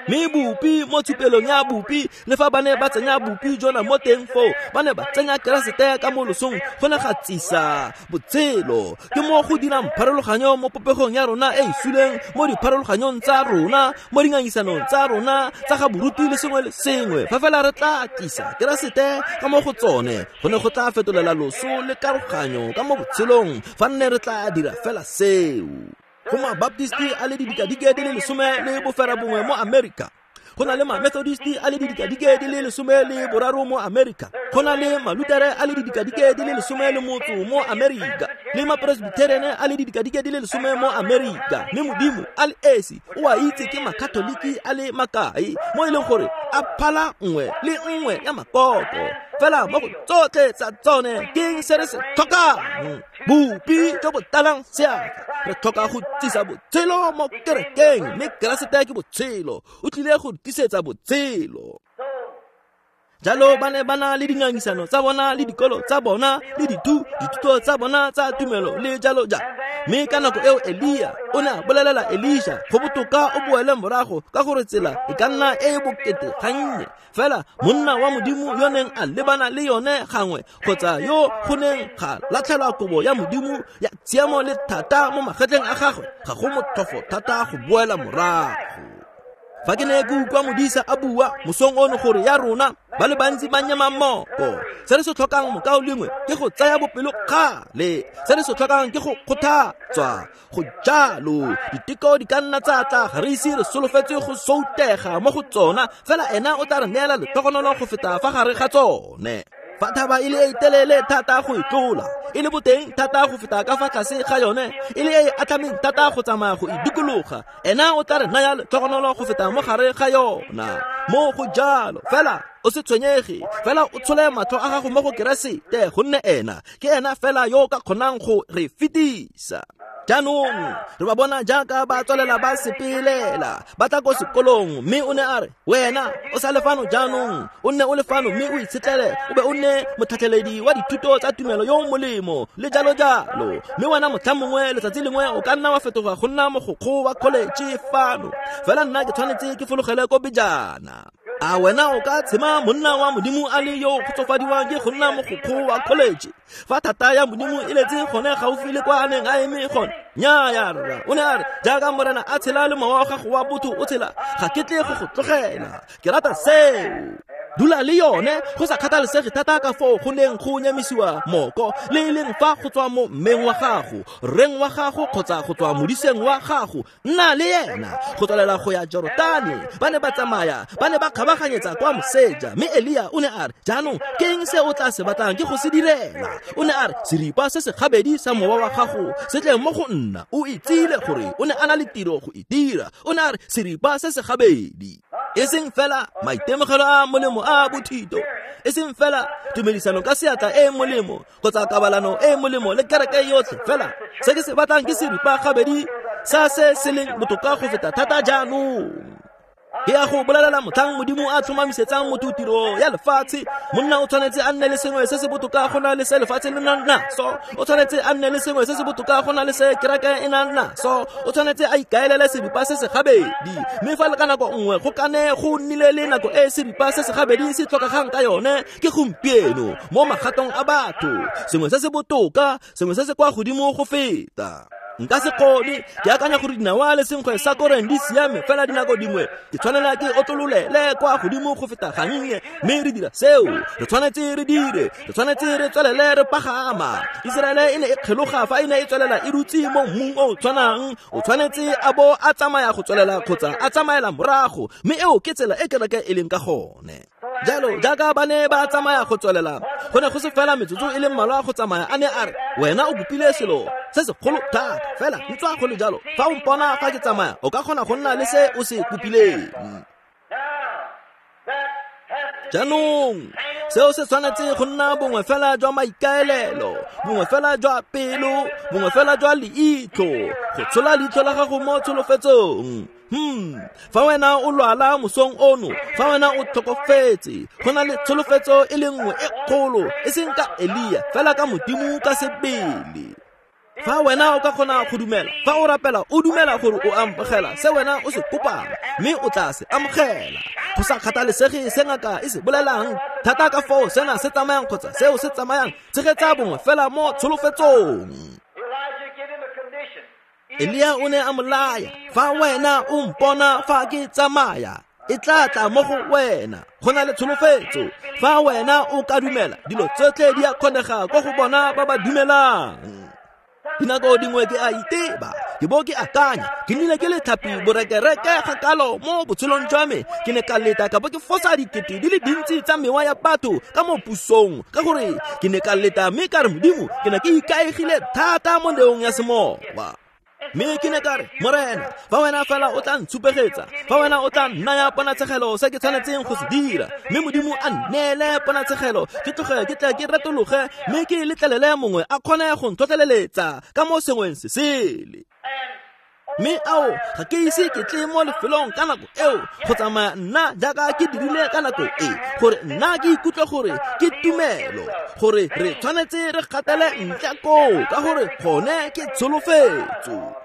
Mme bopi mo tshupelong ya bopi, le fa ba ne ba tsenya bopi jona mo teng foo, ba ne ba tsenya Keresete ka mo losong, go ne ga tsisa botshelo. Ke mo go dirang pharologanyo mo popegong ya rona e e suleng, mo dipharologanyong tsa rona, mo dingangisanong tsa rona tsa ga boruti le sengwe le sengwe. Fa fela re tla tlisa Keresete ka mo go tsone, go ne go tla fetolela loso le karoganyo ka mo botshelong, fa nne re tla dira fela seo. Go ma-Baptist a le didikadike di le lesome le bofera bongwe mo Amerika, go na le ma-Methodist a le didikadike di le lesome le boraro mo Amerika, go na le ma-Lutere a le didikadike di le lesome le motso mo Amerika, le ma-Presbyterian a le didikadike di le lesome mo Amerika. Mme Modimo a le esi o a itse ke ma-Katoliki a le makae mo e leng gore a phala nngwe le nngwe ya makoko. Fela mo go tsotlhe tsa tsone ke eng se re se tlhokang? Bopi jo bo talang seatla. Re tlhoka go tsisa botshelo mo kerekeng, mme Keresete ke botshelo, o tlile go tisetsa botshelo. Jalo ba ne ba na le dingangisano tsa bona le dikolo tsa bona le dithu dithuto tsa bona tsa tumelo le jalo jalo. Mme ka nako eo Elia o ne a bolelela Elisha, go botoka o boele morago ka gore tsela e ka nna e e bokete gannye. Fela monna wa Modimo yo neng a lebana le yone gangwe, kgotsa yo go neng ga latlhelwa kobo ya Modimo ya tshiamo le thata mo magetleng a gagwe, ga go motlhofo thata go boela morago. Fa ke ne ke utlwa modisa a bua mosong ono gore ya rona ba le bantsi ba nyema mmogo, se re se tlhokang mokaulengwe ke go tsaya bopelokgale, se re se tlhokang ke go kgothatswa. Go jalo diteko di ka nna tsa tla, ga re ise re solofetse go soutega mo go tsona, fela ena o tla re neela letlhogonolo go feta fa gare ga tsone. Fa thaba e le e telele thata go e tlola, e le boteng thata go feta ka fa tlase ga yone, e le e atlhameng thata go tsamaya go e dikologa, ena o tla re naya letlhogonolo go feta mo gare ga yona. Mo go jalo fela o se tshwenyege, fela o tshole matlho a gago mo go Keresete, gonne ena ke ena fela yo o ka kgonang go re fetisa. Jaanong re ba bona jaaka ba tswelela ba sepelela, ba tla ko sekolong, mme o ne a re, wena o sa le fano jaanong, o nne o le fano mme o itshetlele, o be o nne motlhatlheledi wa dithuto tsa tumelo yo o molemo le jalo jalo. Mme wena motlha mongwe letsatsi lengwe o ka nna wa fetoga go nna mogokgo wa college fano, fela nna ke tshwanetse ke fologele ko pejana. A wena o ka tshema monna wa Modimo a le yo o kgotsofadiwang ke go nna mogokgo wa college fa thata ya Modimo e letse gone gaufi le kwa a neng a eme gone? Nnyaya rra, o ne a re, jaaka Morena a tshela le mowa wa gago wa botho o tshela, ga ke tle go go tlogela. Ke rata seo. Dula le yone go sa kgathalesege thata ka foo go neng go nyamisiwa moko, le e leng fa go tswa mo mmeng wa gago, rreng wa gago kgotsa go tswa modiseng wa gago, nna le ena go tswelela go ya Jorotane. Ba ne ba tsamaya, ba ne ba kgabaganyetsa kwa moseja, mme Elia o ne a re, jaanong ke eng se o tla se batlang ke go se direla? O ne a re, seripa se se gabedi sa mowa wa gago se tle mo go nna. O itsile gore o ne a na le tiro go e dira. O ne a re, seripa se se gabedi. E seng fela maitemogelo a molemo a bothito, e seng fela tumedisano ka seatla e molemo kgotsa kabalano e molemo le kereke yotlhe fela. Se ke se batlang ke seripa gabedi sa se se leng botoka go feta thata jaanong. Ke ya go bolelela motlhang Modimo a tlhomamisetsang motho tiro ya lefatshe, monna o tshwanetse a nne le sengwe se se botoka go na le se lefatshe le nang naso, o tshwanetse a nne le sengwe se se botoka go na le se kereke e nang naso, o tshwanetse a ikaelele seripa se se gabedi. Mme fa le ka nako nngwe go kane go nnile le nako e seripa se se gabedi se tlhokegang ka yone, ke gompieno mo magatong a batho, sengwe se se botoka, sengwe se se kwa godimo go feta. Nka se kgone, ke akanya gore dinawa le senkgwe sa korong di siame, fela dinako dingwe ke tshwanela ke otlololele kwa godimo go feta gannye, mme re dira seo re tshwanetse re dire, re tshwanetse re tswelele re pagama. Iseraele e ne e kgeloga fa e ne e tswelela e dutse mo mmung o o tshwanang, o tshwanetse a bo a tsamaya go tswelela kgotsa a tsamaela morago, mme eo ke tsela e kereke e leng ka gone. Jalo jaaka ba ne ba tsamaya go tswelela, go ne go se fela metsotso e le mmalwa go tsamaya, a ne a re, wena o bopile selo se segolo thata, fela ntswa go le jalo, fa o mpona fa ke tsamaya, o ka kgona go nna le se o se kopileng. Jaanong seo se tshwanetse go nna bongwe fela jwa maikaelelo, bongwe fela jwa pelo, bongwe fela jwa leitlho, go tshola leitlho la gago mo tsholofetsong. Hmm, fa wena o lwala mosong ono, fa wena o tlhokofetse, go na le tsholofetso e le nngwe e kgolo, e seng ka Elia, fela ka Modimo ka sebele. Fa wena o ka kgona go dumela, fa o rapela o dumela gore o amogela se wena o se kopang, mme o tla se amogela. Go sa kgathalesege se ngaka e se bolelang, thata ka foo sena se tsamayang kgotsa seo se tsamayang, tshegetsa bongwe fela mo tsholofetsong. Elia o ne a mo laya, fa wena o mpona fa ke tsamaya, e tla tla mo go wena. Go na le tsholofetso, fa wena o ka dumela, dilo tsotlhe di a kgonega kwa go bona ba ba dumelang. Dinako dingwe ke a iteba, ke bo ke akanya, ke nnile ke le tlhapi borekereke gakalo mo botshelong jwa me, ke ne ka leta ka bo ke fosa dikete di le dintsi tsa mewa ya batho ka mo pusong, ka gore ke ne ka leta mme ka re Modimo, ke ne ke ikaegile thata mo neong ya semowa. Mme ke ne ka re, Morena, fa wena fela o tla ntshupegetsa, fa wena o tla nnaya ponatshegelo se ke tshwanetseng go se dira, mme Modimo a nneele ponatshegelo, ke tloge ke tle ke retologe, mme ke letlelele mongwe a kgone go ntlhotlheletsa ka mo sengweng se sele. Mme ao, ga ke ise ke tle mo lefelong ka nako eo go tsamaya nna jaaka ke dirile ka nako e, gore nna ke ikutlwe gore ke tumelo, gore re tshwanetse re gatele ntle koo, ka gore gone ke tsholofetso.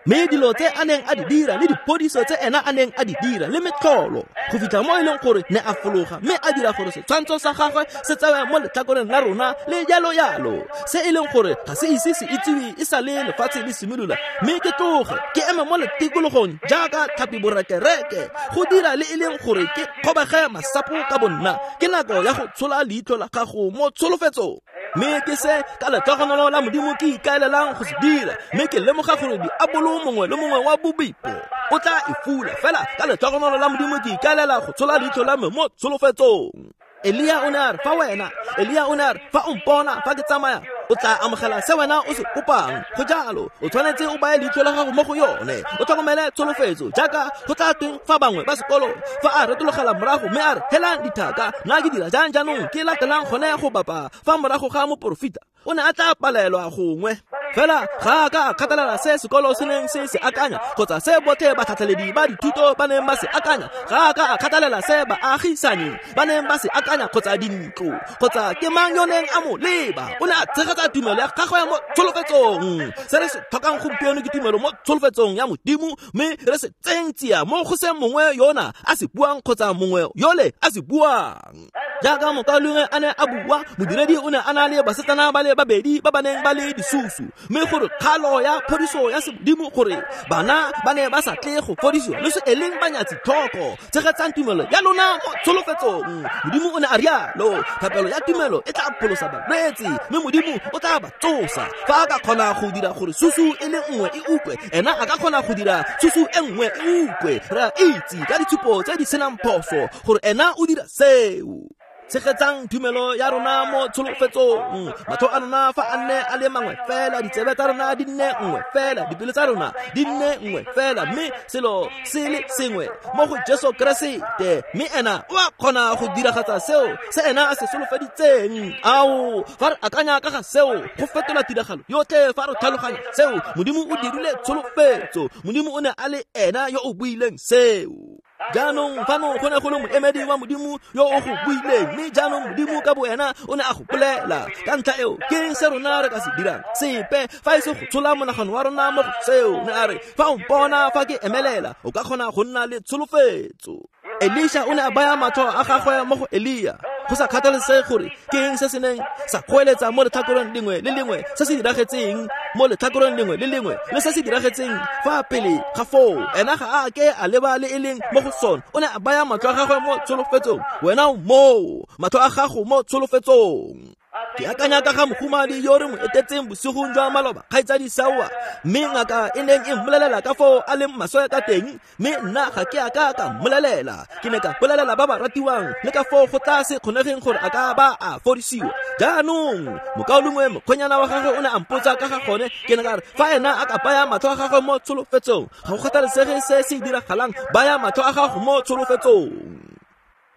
Mme dilo tse a neng a di dira le diphodiso tse ena a neng a di dira le metlholo, go fitlha mo e leng gore ne a fologa mme a dira gore setshwantsho sa gagwe se tsewe mo letlhakoreng la rona le jalo jalo, se e leng gore ga se ise se itsiwe e sa le lefatshe le simolola. Mme ke tloge ke eme mo letikologong jaaka tlhapi borekereke, go dira le e leng gore ke kgobege masapo ka bonna. Ke nako ya go tshola leitlho la gago mo tsholofetsong. Mme ke se ka letlhogonolo la Modimo ke ikaelelang go se dira, mme ke lemoga gore diabolo mongwe le mongwe wa bobipo o tla e fula, fela ka letlhogonolo la Modimo ke ikaelela go tshola leitlho la me mo tsholofetsong. Elia o ne a re, fa wena, Elia o ne a re, fa o mpona fa ke tsamaya, o tla amogela se wena o se kopang. Go jalo, o tshwanetse o baye leitlho la gago mo go yone, o tlhokomele tsholofetso. Jaaka go tla tweng fa bangwe ba sekolo fa a retologela morago mme a re, helang dithaka, nna ke dira jang jaanong ke latelang gone go bapa fa morago ga moporofita, o ne a tla palelwa gongwe. Fela ga a ka a kgathalela se sekolo se neng se se akanya, kgotsa se botlhe batlhatlheledi ba dithuto ba neng ba se akanya, ga a ka a kgathalela se baagisani ba neng ba se akanya, kgotsa dintlo, kgotsa ke mang yo neng a mo leba. O ne a tshegetsa tumelo ya gagwe mo tsholofetsong. Se re se tlhokang gompieno ke tumelo mo tsholofetsong ya Modimo, mme re se tseng tsia mo go se mongwe yona a se buang kgotsa mongwe yole a se buang. Jaaka mokaulengwe a ne a bua, modiredi o ne a na le basetsana ba le babedi ba ba neng ba le disusu, mme gore kgalo ya phodiso ya Modimo gore bana ba ne ba sa tle go fodisiwa le se e leng banyatsi tlhoko. Tshegetsang tumelo ya lona mo tsholofetsong. Modimo o ne a rialo, thapelo ya tumelo e tla pholosa balwetse, mme Modimo o tla ba tsosa. Fa a ka kgona go dira gore susu e le nngwe e utlwe, ena a ka kgona go dira susu e nngwe e utlwe. Re a itse ka ditshupo tse di senang phoso gore ena o dira seo. Tshegetsang tumelo ya rona mo tsholofetsong. Matlho a rona fa a nne a le mangwe fela, ditsebe tsa rona di nne nngwe fela, dipelo tsa rona di nne nngwe fela, mme selo se le sengwe mo go Jesu Keresete. Mme ena o a kgona go diragatsa seo se ena a se solofeditseng. Ao, fa re akanya ka ga seo, go fetola tiragalo yotlhe. Fa re tlhaloganya seo, Modimo o dirile tsholofetso. Modimo o ne a le ena yo o buileng seo. Jaanong fano go ne go le moemedi wa Modimo yo o go buileng, mme jaanong Modimo ka boena o ne a go bolela. Ka ntlha eo, ke eng se rona re ka se dirang? Sepe, fa e se go tshola monagano wa rona mo go seo. Ne a re, fa o mpona fa ke emelela, o ka kgona go nna le tsholofetso. Elisha o ne a baya matlho a gagwe mo go Elia. Go sa kgathalesege gore ke eng se se neng sa goeletsa mo letlhakoreng lengwe le lengwe, se se diragetseng mo letlhakoreng lengwe le lengwe, le se se diragetseng fa pele ga foo, ena ga a ke a leba le e leng mo go sone. O ne a baya matlho a gagwe mo tsholofetsong. Wena o moo, matlho a gago mo tsholofetsong. Ke akanya ka ga mohumadi yo re mo etetseng bosigong jwa maloba, kgaitsadi Sawa, mme ngaka e neng e mmolelela ka foo a leng maswe ka teng, mme nna ga ke a ka ka mmolelela. Ke ne ka bolelela ba ba ratiwang le ka foo go tla se kgonegeng gore a ka ba a fodisiwa. Jaanong mokaulengwe mokgwenyana wa gagwe o ne a mpotsa ka ga gone. Ke ne ka re, fa ena a ka baya matlho a gagwe mo tsholofetsong, ga go kgathalesege se se diragalang, baya matlho a gago mo tsholofetsong.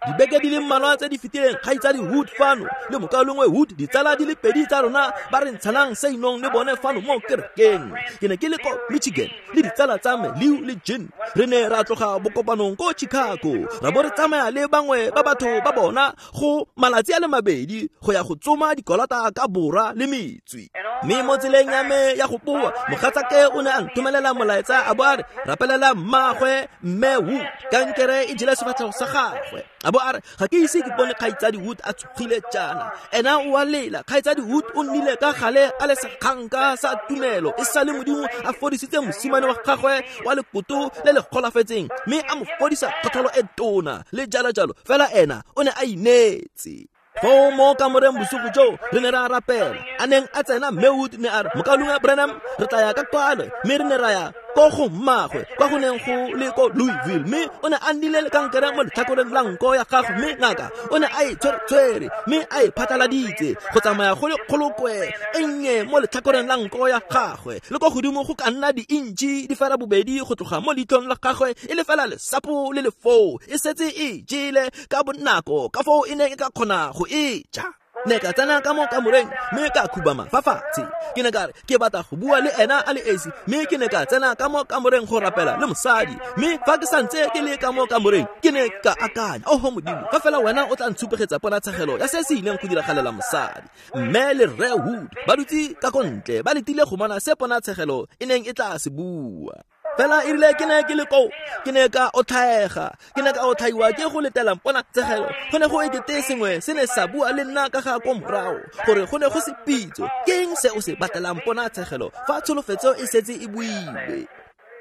Dibeke di le mmalwa tse di fetileng, kgaitsadi Wood fano le mokaulengwe Wood, ditsala di le pedi tsa rona ba re ntshanang seinong le bone fano mo kerekeng. Ke ne ke le ko Michigan le ditsala tsa me Leo le Jean. Re ne ra tloga bokopanong ko Chicago, ra bo re tsamaya le bangwe ba batho ba bona go malatsi a le mabedi go ya go tsoma dikolata ka bora le metswi. Mme mo tseleng ya me ya go boa, mogatsake o ne a nthomelela molaetsa a bo a re, rapelela mmagwe mme Wood, kankere e jele sefatlhego sa gagwe. A bo a re, ga ke ise ke bone kgaitsadi Wood a tshogile jaana. Ena o a lela. Kgaitsadi Wood o nnile ka gale a le sekganka sa tumelo, e sale Modimo a fodisitse mosimane wa gagwe wa lekoto le le golafetseng, mme a mo fodisa kgotlholo e tona le jalo jalo. Fela ena o ne a ineetse. Foo mo kamoreng bosigo joo re ne ra rapela. A neng a tsena mme Wood ne a re, mokaulengwe Branham, re tla ya ka kwano. Mme re ne ra ya ko go mmagwe kwa go neng go le ko Louisville, mme o ne a nnile le kankere mo letlhakoreng la nko ya gagwe, mme ngaka o ne a e tshwere-tshwere mme a e phatlaladitse go tsamaya go le kgolokwe e nnye mo letlhakoreng la nko ya gagwe, le ko godimo go ka nna di-intšhi di fela bobedi go tloga mo leitlhong la gagwe, e le fela lesapo le le foo, e setse e jele ka bonako ka foo e neng e ka kgona go e ja. Ne ka tsena ka mo kamoreng mme ka khubama fa fatshe. Ke ne ka re ke batla go bua le ena a le esi, mme ke ne ka tsena ka mo kamoreng go rapela le mosadi. Mme fa ke santse ke le ka mo kamoreng, ke ne ka akanya, oho Modimo, ka fela wena o tla ntshupegetsa ponatshegelo ya se se ileng go diragalela mosadi. Mme le Rre Wood ba dutse ka ko ntle, ba letile go bona se ponatshegelo e neng e tla se bua. Fela e rile ke ne ke le koo, ke ne ka otlhaega, ke ne ka otlhaiwa ke go letela ponatshegelo. Go ne go ekete sengwe se ne sa bua le nna ka ga ko morago, gore go ne go se pitso. Ke eng se o se batelang ponatshegelo fa tsholofetso e setse e builwe?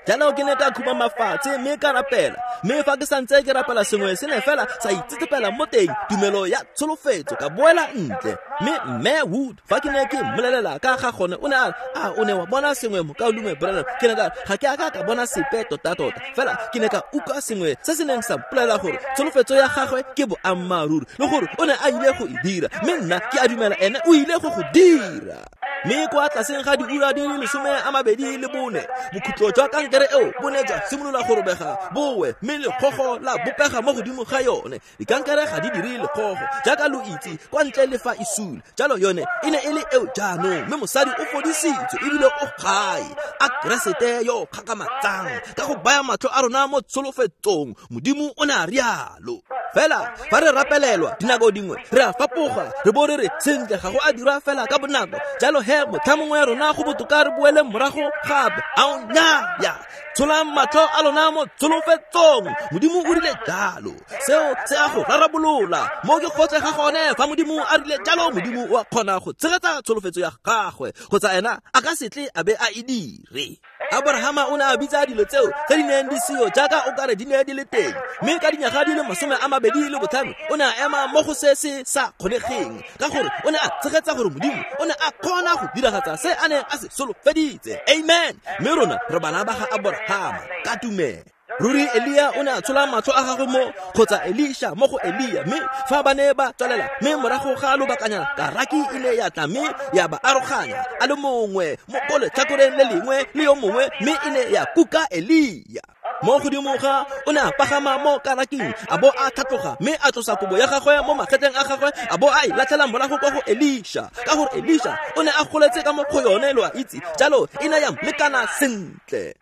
Jalo ke ne ka khubama fatshe mme ka rapela. Mme fa ke santse ke rapela, sengwe se ne fela sa itsetsepela mo teng, tumelo ya tsholofetso. Ka boela ntle. Mme mme Wood, fa ke ne ke mmolelela ka ga gone, o ne a re, a o ne wa bona sengwe mokaulengwe Branham? Ke ne ka re, ga ke a ka ka bona sepe tota-tota, fela ke ne ka utlwa sengwe se se neng sa mpolelela gore tsholofetso ya gagwe ke boammaaruri, le gore o ne a ile go e dira, mme nna ke a dumela ene o ile go go dira. Mme kwa tlaseng ga diura di le lesome a mabedi le bone, bokhutlo jwa kankere eo bo ne jwa simolola go robega bowe, mme lekgogo la bopega mo godimo ga yone. Dikankere ga di dire lekgogo jaaka lo itse, kwa ntle le fa e sule. Jalo yone e ne e le eo jaanong, mme mosadi o fodisitswe ebile o gae. A Keresete yo o kgakgamatsang ka go baya matlho a rona mo tsholofetsong. Modimo o ne a rialo. Fela fa re rapelelwa dinako dingwe re a fapoga, re bo re re sentle ga go a dirwa fela ka bonako. Jalo he motlha mongwe ya rona go botoka re boele morago gape. Ao nnyaa, tsholang matlho a lona mo tsholofetsong. Modimo o rile jalo, seo se a go rarabolola. Mo ke gotlhe ga gone, fa Modimo a rile jalo, Modimo o a kgona go tshegetsa tsholofetso ya gagwe, kgotsa ena a ka se tle a be a e dire. Abrahama o ne a bitsa dilo tseo tse di neng di seo jaaka o kare di ne di le teng, mme ka dinyaga di le masome a mabedi le botlhano o ne a ema mo go se se sa kgonegeng, ka gore o ne a tshegetsa gore Modimo o ne a kgona go diragatsa se a neng a se solofeditse. Amen. Mme rona re bana ba ga Abrahama ka tumelo. Ruri Elia o ne a tshola matlho a gagwe mo kgotsa Elisha mo go Elia, mme fa ba ne ba tswelela, mme morago ga lobakanyana karaki e ne ya tla mme ya ba aroganya, a le mongwe mo ko letlhakoreng le lengwe le yo mongwe, mme e ne ya kuka Elia. Mo godimo ga o ne a pagama mo karaking, a bo a tlhatloga mme a tlosa kobo ya gagwe mo magetleng a gagwe, a bo a e latlhela morago kwa go Elisha, ka gore Elisha o ne a goletse ka mo go yone, lo a itse, jalo e ne ya molekana sentle.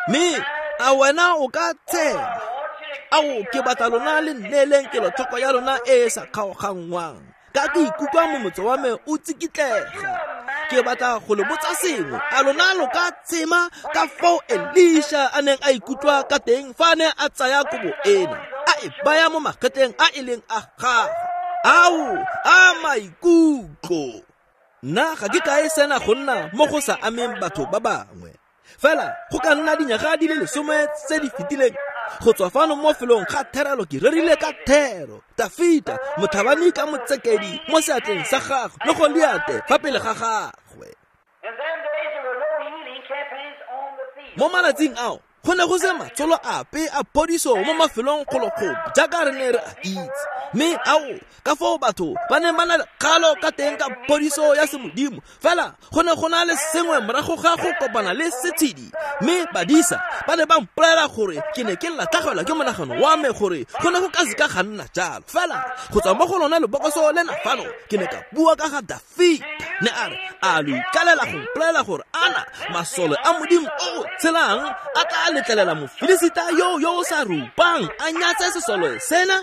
Mme a wena o ka tshema? Ao, ke batla lona le nneeleng kelotlhoko ya lona e e sa kgaoganngwang, ka ke ikutlwa momotso wa me o tsikitlega. Ke batla go le botsa sengwe. A lona lo ka tshema ka foo Elisha a neng a ikutlwa ka teng fa a ne a tsaya kobo ena, a e baya mo magetleng a e leng a gagwe? Ao, a maikutlo! Nna ga ke kae sena go nna mo go sa ameng batho ba bangwe. Fela go ka nna dinyaga di le lesome tse di fetileng, go tswa fano mo felong ga therelo ke rerile ka thero, Dafita motlhabani ka motsekedi mo seatleng sa gagwe le Goliate fa pele ga gagwe. Mo malatsing ao go ne go se matsholo ape a phodiso mo mafelong kgolokgolo jaaka re ne re a itse, mme ao ka foo batho ba ne ba na le kgalo ka teng ka phodiso ya semodimo. Fela go ne go na le sengwe morago ga go kopana le setshedi, mme badisa ba ne ba mpolelela gore ke ne ke latlhegelwa ke monagano wa me gore go ne go ka seka ga nna jalo. Fela go tswa mo go lona lebokoso lena fano ke ne ka bua ka ga Dafita, ne a re a lo ikalela go mpolelela gore ana masole a Modimo o o tshelang a tla letlelela Mofilisita yo yo o sa rupang a nyatse sesole sena?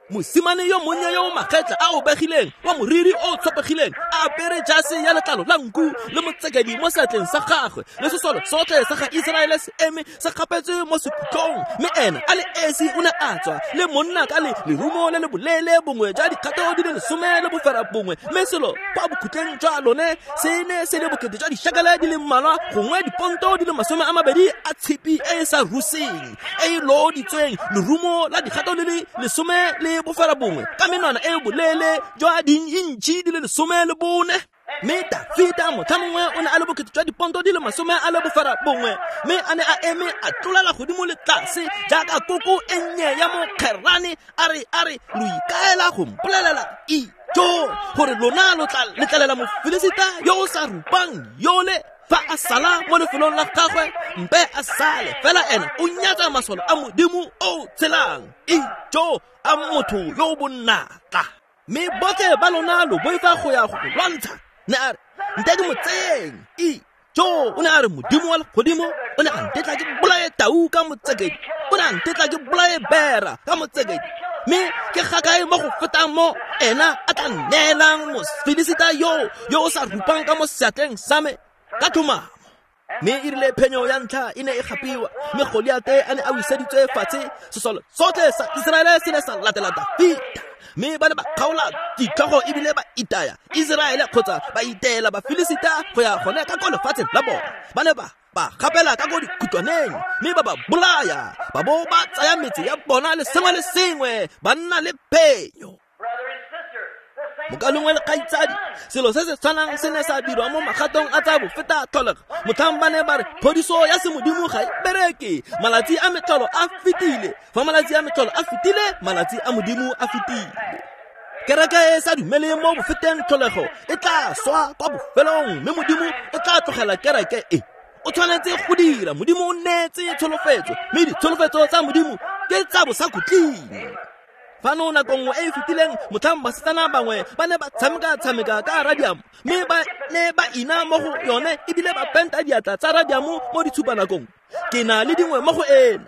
Mosimane yo monnye yo o magetla a o begileng, wa moriri o tshopegileng, a apere jase ya letlalo la nku le motsekedi mo seatleng sa gagwe, le sesole sotlhe sa ga Iseraele se eme se kgapetswe mo sekhutlong, mme ena a le esi o ne a tswa le monna ka le lerumo le le boleele bongwe jwa dikgato di le lesome le bofera bongwe, mme selo kwa bokhutleng jwa lone se ne se le bokete jwa dishekele di le mmalwa, gongwe diponto di le masome a mabedi a tshipi e e sa ruseng e e looditsweng, lerumo la dikgato le le lesome le bofera bongwe ka menwana e boleele jwa diintšhi di le lesome le bone. Mme Dafita motlha mongwe o ne a le bokete jwa diponto di le masome a le bofera bongwe, mme a ne a eme a tlolela godimo le tlase jaaka koko e nnye ya mokgerane, a re a re lo ikaela go mpolelela ijo gore lona lo tla letlelela Mofilisita yo o sa rupang yole fa a sala mo lefelong la gagwe, mpe a sale fela ena o nyatsa masole a Modimo o tshelang, ijo a motho yo o bonatla. Mme botlhe ba lona lo boifa go ya go lwantsha. Ne a re nte ke mo tseyeng, ijo. O ne a re Modimo wa legodimo o ne a ntetla ke bolaye tau ka motsekedi, o ne a ntetla ke bolaye bera ka motsekedi, mme ke gakae mo go fetang mo ena a tla nneelang Mofilisita yo yo o sa rupang ka mo seatleng sa me ka tlhomamo. Mme e rile phenyo ya ntlha e ne e gapiwa, mme Goliate a ne a wiseditswe fatshe, sesole sotlhe sa Iseraele se ne sa latela Dafita, mme ba ne ba kgaola ditlhogo ebile ba itaya Iseraele kgotsa ba iteela Bafilisita go ya gone ka ko lefatsheng la bona. Ba ne ba ba gapela ka ko dikhutlwaneng mme ba ba bolaya, ba bo ba tsaya metse ya bona le sengwe le sengwe, ba nna le phenyo. Mokalengwe le kgaitsadi, selo se se tshwanang se ne sa dirwa mo magatong a tsa bofeta tlholego. Motlhang ba ne ba re phodiso ya semodimo ga e bereke, malatsi a metlholo a fetile. Fa malatsi a metlholo a fetile, malatsi a Modimo a fetile. Kereke e sa dumele mo bofeteng tlholego e tla swa kwa bofelong, mme Modimo o tla tlogela kereke e. O tshwanetse go dira, Modimo o neetse tsholofetso, mme ditsholofetso tsa Modimo ke tsa bosakhutleng. Fano nako nngwe e e fetileng, motlhang basetsana bangwe ba ne ba tshameka-tshameka ka radiamo, mme ba ne ba ina mo go yone ebile ba penta diatla tsa radiamo mo ditshupanakong. Ke na le dingwe mo go ena.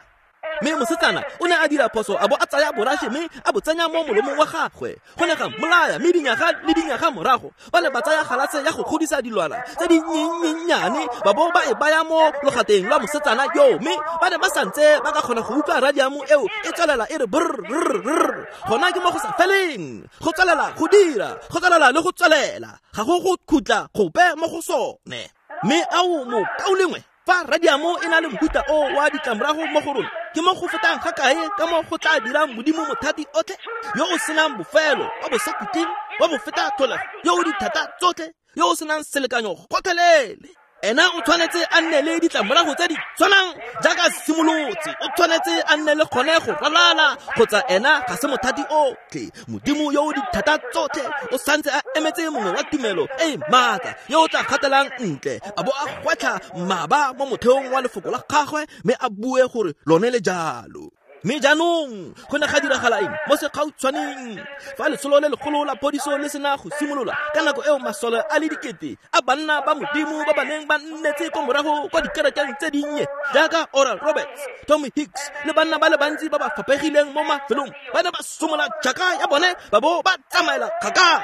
Mme mosetsana o ne a dira phoso a bo a tsaya borashe mme a bo tsenya mo molomong wa gagwe. Go ne ga mmolaya, mme dinyaga le dinyaga morago ba ne ba tsaya galase ya go godisa dilwana tse di nnyennyane ba bo ba e baya mo logateng lwa mosetsana yo, mme ba ne ba santse ba ka kgona go utlwa radiamo eo e tswelela e re brrrr. Gona ke mo go sa feleng, go tswelela go dira, go tswelela le go tswelela, ga go go khutla gope mo go sone. Mme ao mokaulengwe, fa radiamo e na le mohuta o wa ditlamorago mo go rona, ke mo go fetang ga kae ka mo go tla dirang Modimo mothati otlhe, yo o senang bofelo, wa bosakhutleng, wa bofeta tlholego, yo o dithata tsotlhe, yo o senang selekanyo gotlhelele. Ena o tshwanetse a nne le ditlamorago tse di tshwanang jaaka simolotse. O tshwanetse a nne le kgone go ralala kgotsa ena ga se mothati otlhe. Modimo yo o dithata tsotlhe o santse a emetse mongwe wa tumelo e e maatla yo o tla gatelang ntle a bo a gwetlha mmaba mo motheong wa lefoko la gagwe mme a bue gore lone le jalo. Mme jaanong go ne ga diragala eng mo segautshwaneng fa letsholo le legolo la phodiso le sena go simolola ka nako eo masole a le dikete a banna ba Modimo ba ba neng ba nnetse ko morago kwa dikerekeng tse dinnye jaaka Oral Roberts, Tommy Hicks le banna ba le bantsi ba ba faphegileng mo mafelong ba ne ba somola tšhaka ya bone ba bo ba tsamaela kgakala.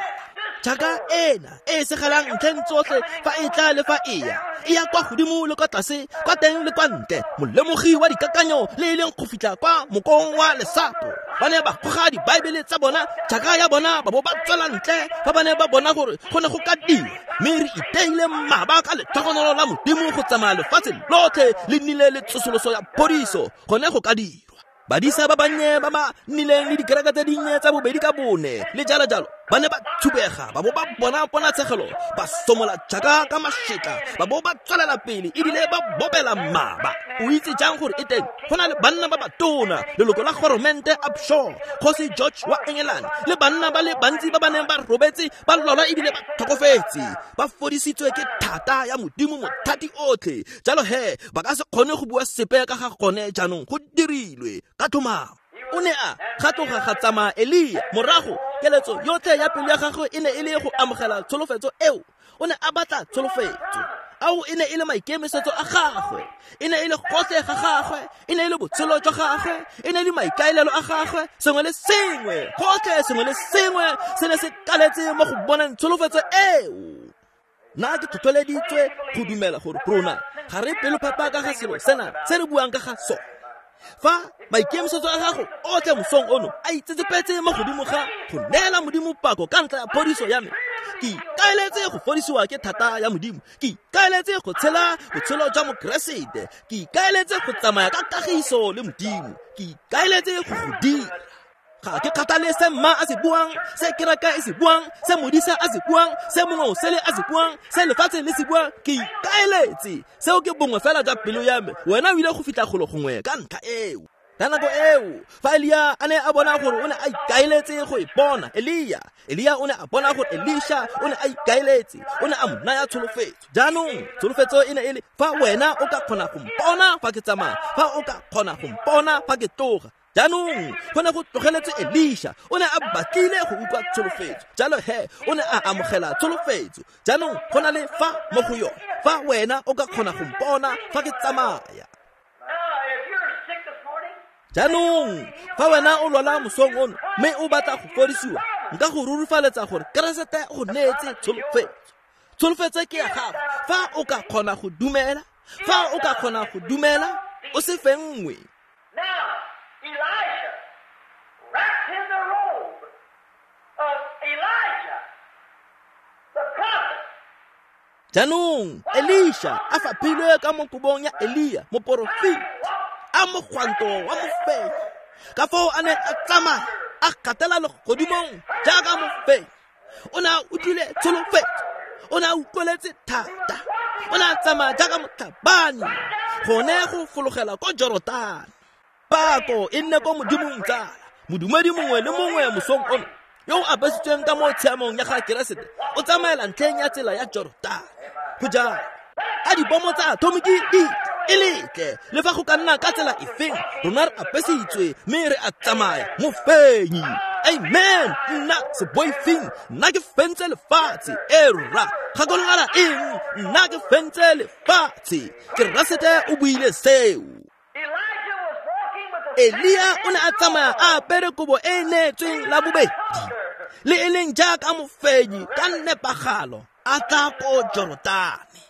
Tšhaka ena e e segelang ntlheng tsotlhe fa e tla le fa e ya e ya kwa godimo le kwa tlase, kwa teng le kwa ntle, molemogi wa dikakanyo le e leng go fitlha kwa mokong wa lesapo. Ba ne ba goga dibaebele tsa bona, tšhaka ya bona, ba bo ba tswela ntle fa ba ne ba bona gore go ne go ka dirwa. Mme re iteile mmaba ka letlhogonolo la Modimo go tsamaya lefatshe lotlhe le nnile le tsosoloso ya phodiso gone go ka dirwa. Badisa ba bannye ba ba nnileng le dikereke tse dinnye tsa bobedi ka bone le jalo jalo ba ne ba thubega ba bo ba bona ponatshegelo, ba somola tšhaka ka mašetla ba bo ba tswelela pele ebile ba bobela mmaba. O itse jang gore e teng? Go na le banna ba batona, leloko la goromente Upshaw, kgosi George wa Engelane le banna ba le bantsi ba ba neng ba robetse ba lwala ebile ba tlhokofetse, ba fodisitswe ke thata ya Modimo mothati otlhe. Jalo he ba ka se kgone go bua sepe ka ga gone jaanong, go dirilwe ka tlhomamo. O ne a ga tloga ga tsamaya Elia morago. Keletso yotlhe ya pelo ya gagwe e ne e le go amogela tsholofetso eo. O ne a batla tsholofetso. Ao e ne e le maikemisetso a gagwe, e ne e le gotlhe ga gagwe, e ne e le botshelo jwa gagwe, e ne e le maikaelelo a gagwe. Sengwe le sengwe, gotlhe sengwe le sengwe se ne se kaletse mo go boneng tsholofetso eo. Nna ke tlhotlheleditswe go dumela gore rona ga re pelophepa ka ga selo sena se re buang ka ga sone. Fa maikemisetso a gago otlhe mosong ono a itsetsepetse mo godimo ga go neela Modimo pako ka ntlha ya phodiso ya me, ke ikaeletse go fodisiwa ke thata ya Modimo, ke ikaeletse go tshela botshelo jwa Mokeresete, ke ikaeletse go tsamaya ka kagiso le Modimo, ke ikaeletse go go dira. Ga ke kgathale se mma a se buang, se kereka e se buang, se modisa a se buang, se mongwe o sele a se buang, se lefatshe le se buang, ke ikaeletse. Seo ke bongwe fela jwa pelo ya me. Wena o ile go fitlha golo gongwe ka ntlha eo. Ka nako eo fa Elia a ne a bona gore o ne a ikaeletse go e bona, Elia Elia o ne a bona gore Elisha o ne a ikaeletse, o ne a mo naya tsholofetso. Jaanong tsholofetso e ne e le fa wena o ka kgona go mpona fa ke tsamaya, fa o ka kgona go mpona fa ke tloga. Jaanong go ne go tlogeletse Elisha, o ne a batlile go utlwa tsholofetso. Jalo he o ne a amogela tsholofetso. Jaanong go na le fa mo go yone, fa wena o ka kgona go mpona fa ke tsamaya. Jaanong fa wena o lwala mosong ono mme o batla go fodisiwa, nka go rurifaletsa gore Keresete go neetse tsholofetso. Tsholofetso ke ya gago fa o ka kgona go dumela, fa o ka kgona go dumela o se fenngwe. Elisha wrapped in the robe of Elijah, the prophet. Jaanong Elisha a faphilwe ka mo kobong ya Elia moporofeti, a mogwanto wa mofenyi. Ka foo a ne a tsamaya a gatela legodimong jaaka mofenyi. O ne a utlwile tsholofetso, o ne a utlweletse thata, o ne a tsamaya jaaka motlhabani gone go fologela ko Jorodane. Pako e nne ko Modimong tsala. Modumedi mongwe le mongwe mosong ono yo o apesitsweng ka mo tshiamong ya ga Keresete o tsamaela ntlheng ya tsela ya Jorodane. Go jalo a dibomo tsa atomiki di e letle le fa go ka nna ka tsela efeng, rona re apesitswe mme re a tsamaya mofenyi. Amen. Nna se boifeng, nna ke fentse lefatshe. E rra, gakologela eng? Nna ke fentse lefatshe. Keresete o buile seo. Elia o ne a tsamaya a apere kobo e neetsweng la bobedi le e leng jaaka mofenyi ka nepagalo a tla ko Jorodane.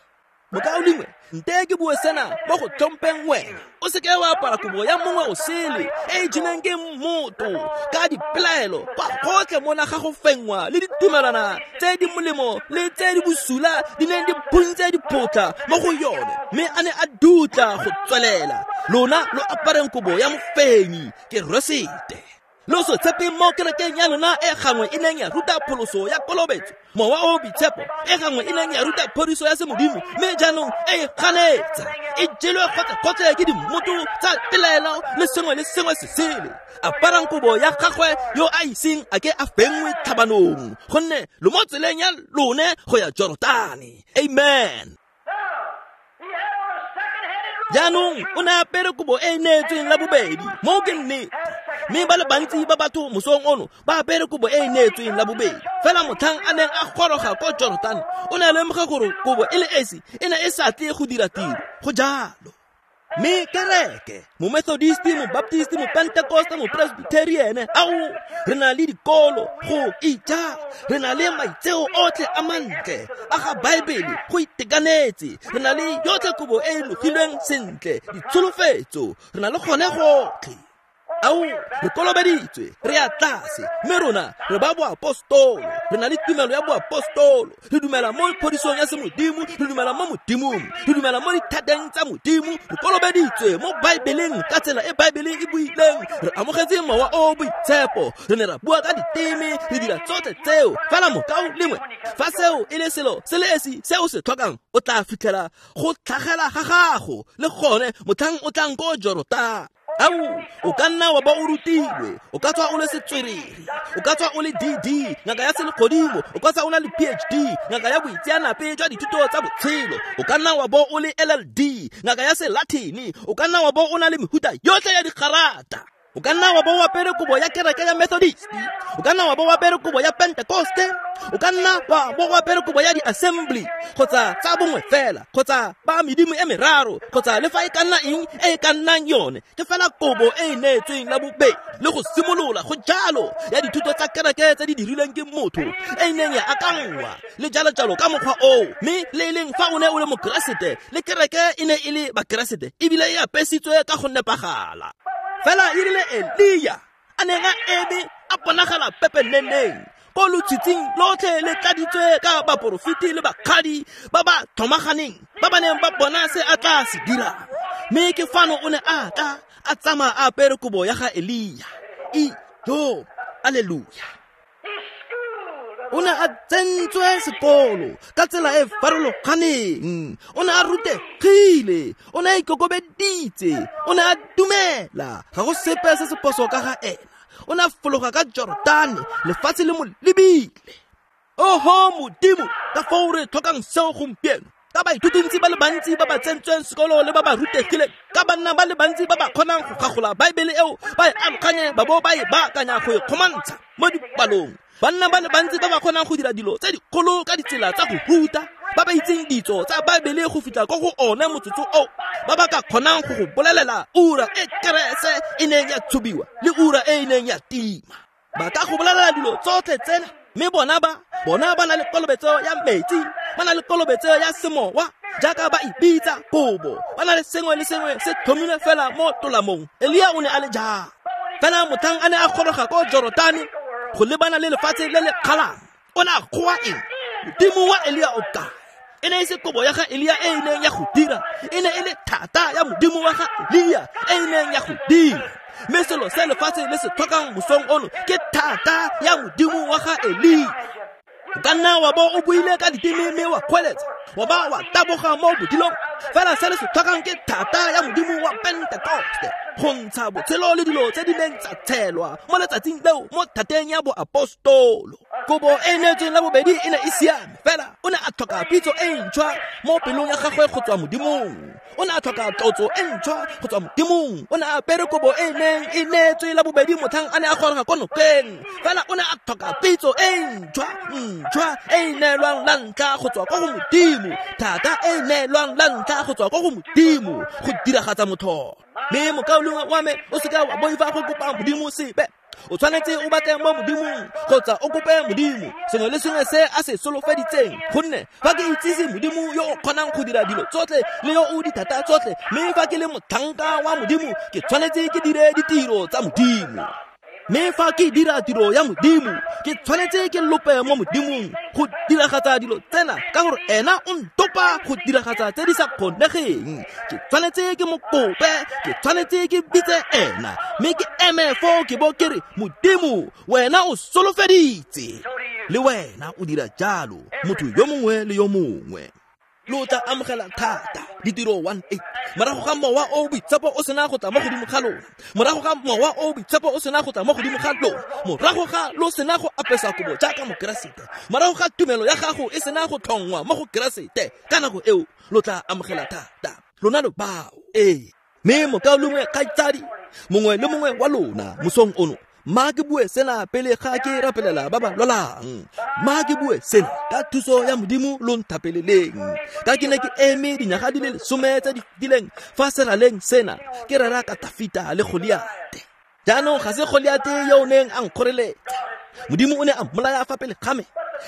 Mokaulengwe, nte ke bue sena mo go tlhompeng wena. O seke wa apara kobo ya mongwe o sele e e jeleng ke motho ka dipelaelo kwa gotlhe mona ga go fenngwa le ditumelwana tse di molemo le tse di bosula di neng di phuntse diphotla mo go yone, mme a ne a dutla go tswelela. Lona lo apareng kobo ya mofenyi, Keresete. Lo se tshepe mo kerekeng ya lona e gangwe e neng ya ruta pholoso ya kolobetso, mowa o boitshepo, e gangwe e neng ya ruta phodiso ya semodimo, mme jaanong e ganetsa, e jelwe kgotsa-kgotsa ke dimmoto tsa pelaelo le sengwe le sengwe se sele. Aparang kobo ya gagwe yo a iseng a ke a fenngwe tlhabanong, gonne lo mo tseleng ya lone go ya Jorotane. Amen. Jaanong o ne a apere kobo e e neetsweng la bobedi, moo ke nnete. Mme ba le bantsi ba batho mosong ono ba apere kobo e e neetsweng la bobedi. Fela motlhang a neng a goroga ko Jorotane, o ne a lemoga gore kobo e le esi e ne e sa tle go dira tiro. Go jalo. Mme kereke, mo-Methodisti, mo-Baptisti, mo-Pentecoste, mo-Presbyterian, ao, re na le dikolo go ija, re na le maitseo otlhe a mantle a ga Baebele go itekanetse, re na le yotlhe kobo e e logilweng sentle, ditsholofetso, re na le gone gotlhe. Ao, re kolobeditswe, re ya tlase, mme rona re ba boapostolo, re na le tumelo ya boapostolo, re dumela mo phodisong ya semodimo, re dumela mo modimong, re dumela mo dithateng tsa modimo, re kolobeditswe mo Baebeleng ka tsela e Baebele e buileng, re amogetse mowa o boitshepo, re ne ra bua ka diteme, re dira tsotlhe tseo. Fela mokao lengwe, fa seo e le selo se le esi se o se tlhokang, o tla fitlhela go tlhagela ga gago le gone motlhang o tlang ko Jorotane. Ao, o ka nna wa ba o rutilwe, o ka tswa o le setswerere, o ka tswa o le D D, ngaka ya selegodimo, o ka tswa o na le P H D, ngaka ya boitseanape jwa dithuto tsa botshelo, o ka nna wa bo o le L L D, ngaka ya selatini, o ka nna wa bo o na le mehuta yotlhe ya digarata. O ka nna wa bo o apere kobo ya kereke ya Methodist, o ka nna wa bo o apere kobo ya Pentecoste, o ka nna wa bo o apere kobo ya di-assembly, kgotsa tsa bongwe fela, kgotsa ba medimo e meraro, kgotsa le fa e ka nna eng e e ka nnang yone, ke fela kobo e e neetsweng la bobedi le go simolola go jalo ya dithuto tsa kereke tse di dirilweng ke motho e e neng ya akanngwa le jalo-jalo ka mokgwa oo. Mme le e leng fa o ne o le mokeresete, le kereke e ne e le bakeresete ebile e apesitswe ka go nepagala. Fela e rile Elia a neng a eme a bonagala pepeneneng ko lotshitshing lotlhe le tladitswe ka baporofeti le bakgadi ba ba tlhomaganeng ba ba neng ba bona se a tla se dirang. Mme ke fano o ne a tla a tsamaya a apere kobo ya ga Elia. Ijo, alleluia. O ne a tsentswe sekolo ka tsela e farologaneng, o ne a rutegile, o ne a ikokobeditse, o ne a dumela, ga go sepe se se phoso ka ga ena. O ne a fologa ka Jorotane, lefatshe le mo lebile. Oho Modimo, ka foo re tlhokang seo gompieno, ka baithutintsi ba le bantsi ba ba tsentsweng sekolo le ba ba rutegileng, ka banna ba le bantsi ba ba kgonang go gagola Baebele eo, ba e aloganye ba bo ba e baakanya go e kgomantsha mo dipalong. Banna ba le bantsi ba ba kgonang go dira dilo tse dikgolo ka ditsela tsa go ruta, ba ba itseng ditso tsa Baebele go fitlha ko go one motsotso oo, ba ba ka kgonang go go bolelela ura e kerese e neng ya tshubiwa le ura e e neng ya tima. Ba ka go bolelela dilo tsotlhe tsena, mme bona ba bona ba na le kolobetso ya metsi, ba na le kolobetso ya semowa, jaaka ba ipitsa kobo, ba na le sengwe le sengwe se tlhomilwe fela mo tolamong. Elia o ne a le jang? Fela motlhang a ne a goroga ko Jorotane go lebana le lefatshe le le kgalang, o ne a kgoa eng? Modimo wa Elia o kae? E ne e se kobo ya ga Elia e e neng ya go dira, e ne e le thata ya modimo wa ga Elia e e neng ya go dira. Mme selo se lefatshe le se tlhokang mosong ono ke thata ya modimo wa ga Elia. O ka nna wa bo o buile ka diteme mme wa kgweletsa, wa ba wa taboga mo bodilong, fela se le se tlhokang ke thata ya modimo wa Pentecoste go ntsha botshelo le dilo tse di neng tsa tshelwa mo letsatsing leo mo thateng ya boapostolo. Kobo e neetsweng la bobedi e ne e siame, fela o ne a tlhoka pitso e ntšhwa mo pelong ya gagwe go tswa modimong. O ne a tlhoka tlotso e ntšhwa go tswa modimong. O ne a apere kobo e neng e neetswe la bobedi motlhang a ne a goroga ko nokeng, fela o ne a tlhoka pitso e ntšhwa ntšhwa e e neelwang la ntlha go tswa ko go modimo, thata e e neelwang la ntlha go tswa ko go modimo go diragatsa motlholo. Mme mokaulengwe wa me, o seka wa boifa go kopa modimo sepe. O tshwanetse o batle mo modimong kgotsa o kope modimo sengwe le sengwe se a se solofeditseng, gonne fa ke itsise modimo yo o kgonang go dira dilo tsotlhe le yo o dithata tsotlhe, mme fa ke le motlhanka wa modimo ke tshwanetse ke dire ditiro tsa modimo. Mme fa ke dira tiro ya Modimo, ke tshwanetse ke lope mo Modimong go diragatsa dilo tsena, ka gore ena o ntopa go diragatsa tse di sa kgonegeng. Ke tshwanetse ke mo kope, ke tshwanetse ke bitse ena, mme ke eme foo ke bo ke re, Modimo, wena o solofeditse. Le wena o dira jalo, motho yo mongwe le yo mongwe. Lo tla amogela thata ditiro one eight morago ga mowa o boitshepo o sena go tla mo godimo ga lona, morago ga mowa o boitshepo o sena go tla mo godimo ga lona, morago ga lo sena go apesa kobo jaaka mokeresete, morago ga tumelo ya gago e sena go tlhongwa mo go keresete, ka nako eo lo tla amogela thata. Lona lo bao. Ee, mme mokaulengwe kgaitsadi mongwe le mongwe wa lona mosong ono, ma ke bue sena pele ga ke rapelela ba ba lwalang. Ma ke bue sena ka thuso ya Modimo lo nthapeleleng. Ka ke ne ke eme dinyaga di le lesome tse di fetileng fa seraleng sena, ke rera ka Tafita le Goliate. Jaanong ga se Goliate yo o neng a nkgoreletsa, Modimo o ne a mmolaya fa pele ga me.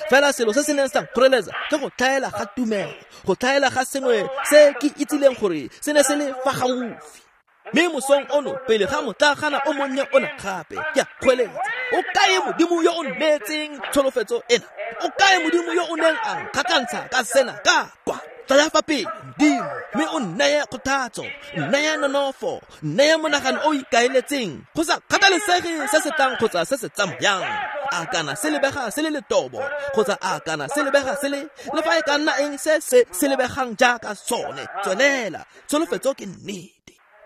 Fela selo se se neng sa nkgoreletsa ke go tlhaela ga tumelo, go tlhaela ga sengwe se ke itsileng gore se ne se le fa gaufi. Mme mosong ono, pele ga motlagana o monnye ona gape, ke a kgweletsa, o kae Modimo yo o neetseng tsholofetso ena? O kae Modimo yo o neng a nkgatlhantsha ka sena ka kwa? Tlaya fa pele, Modimo, mme o nneye kgothatso, nneye nonofo, nneye monagano o ikaeletseng, go sa kgathalesege se se tlang kgotsa se se tsamayang. A kana se lebega se le letobo, kgotsa a kana se lebega se le, le fa e ka nna eng se se se lebegang jaaka sone, tswelela, tsholofetso ke nnete.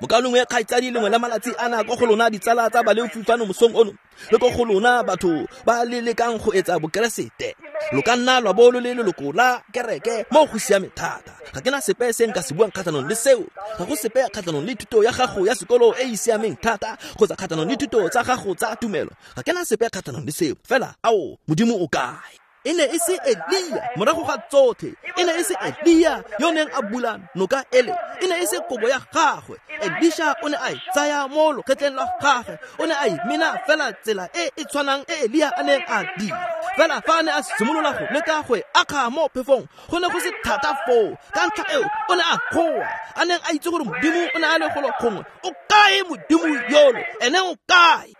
Mokaulengwe kgaitsadi, lengwe la malatsi ana ko go lona ditsala tsa baleofi fano mosong ono, le ko go lona batho ba le lekang go etsa bokeresete, lo ka nna lwa bo lo le leloko la kereke mo go siame thata. Ga ke na sepe se nka se buang kgatlhanong le seo. Ga go sepe kgatlhanong le thuto ya gago ya sekolo e e siameng thata, kgotsa kgatlhanong le thuto tsa gago tsa tumelo. Ga ke na sepe kgatlhanong le seo. Fela ao, Modimo o kae? E ne e se Elia morago ga tsotlhe, e ne e se Elia yo neng a bula noka ele, e ne e se kobo ya gagwe. Elisha o ne a e tsaya mo lokgetleng la gagwe, o ne a e mena fela tsela e e tshwanang e Elia a neng a dira. Fela fa a ne a simolola go leka go e akga mo phefong, go ne go se thata foo. Ka ntlha eo o ne a goa, a neng a itse gore Modimo o ne a le golo gongwe. O kae Modimo yolo? Ene o kae?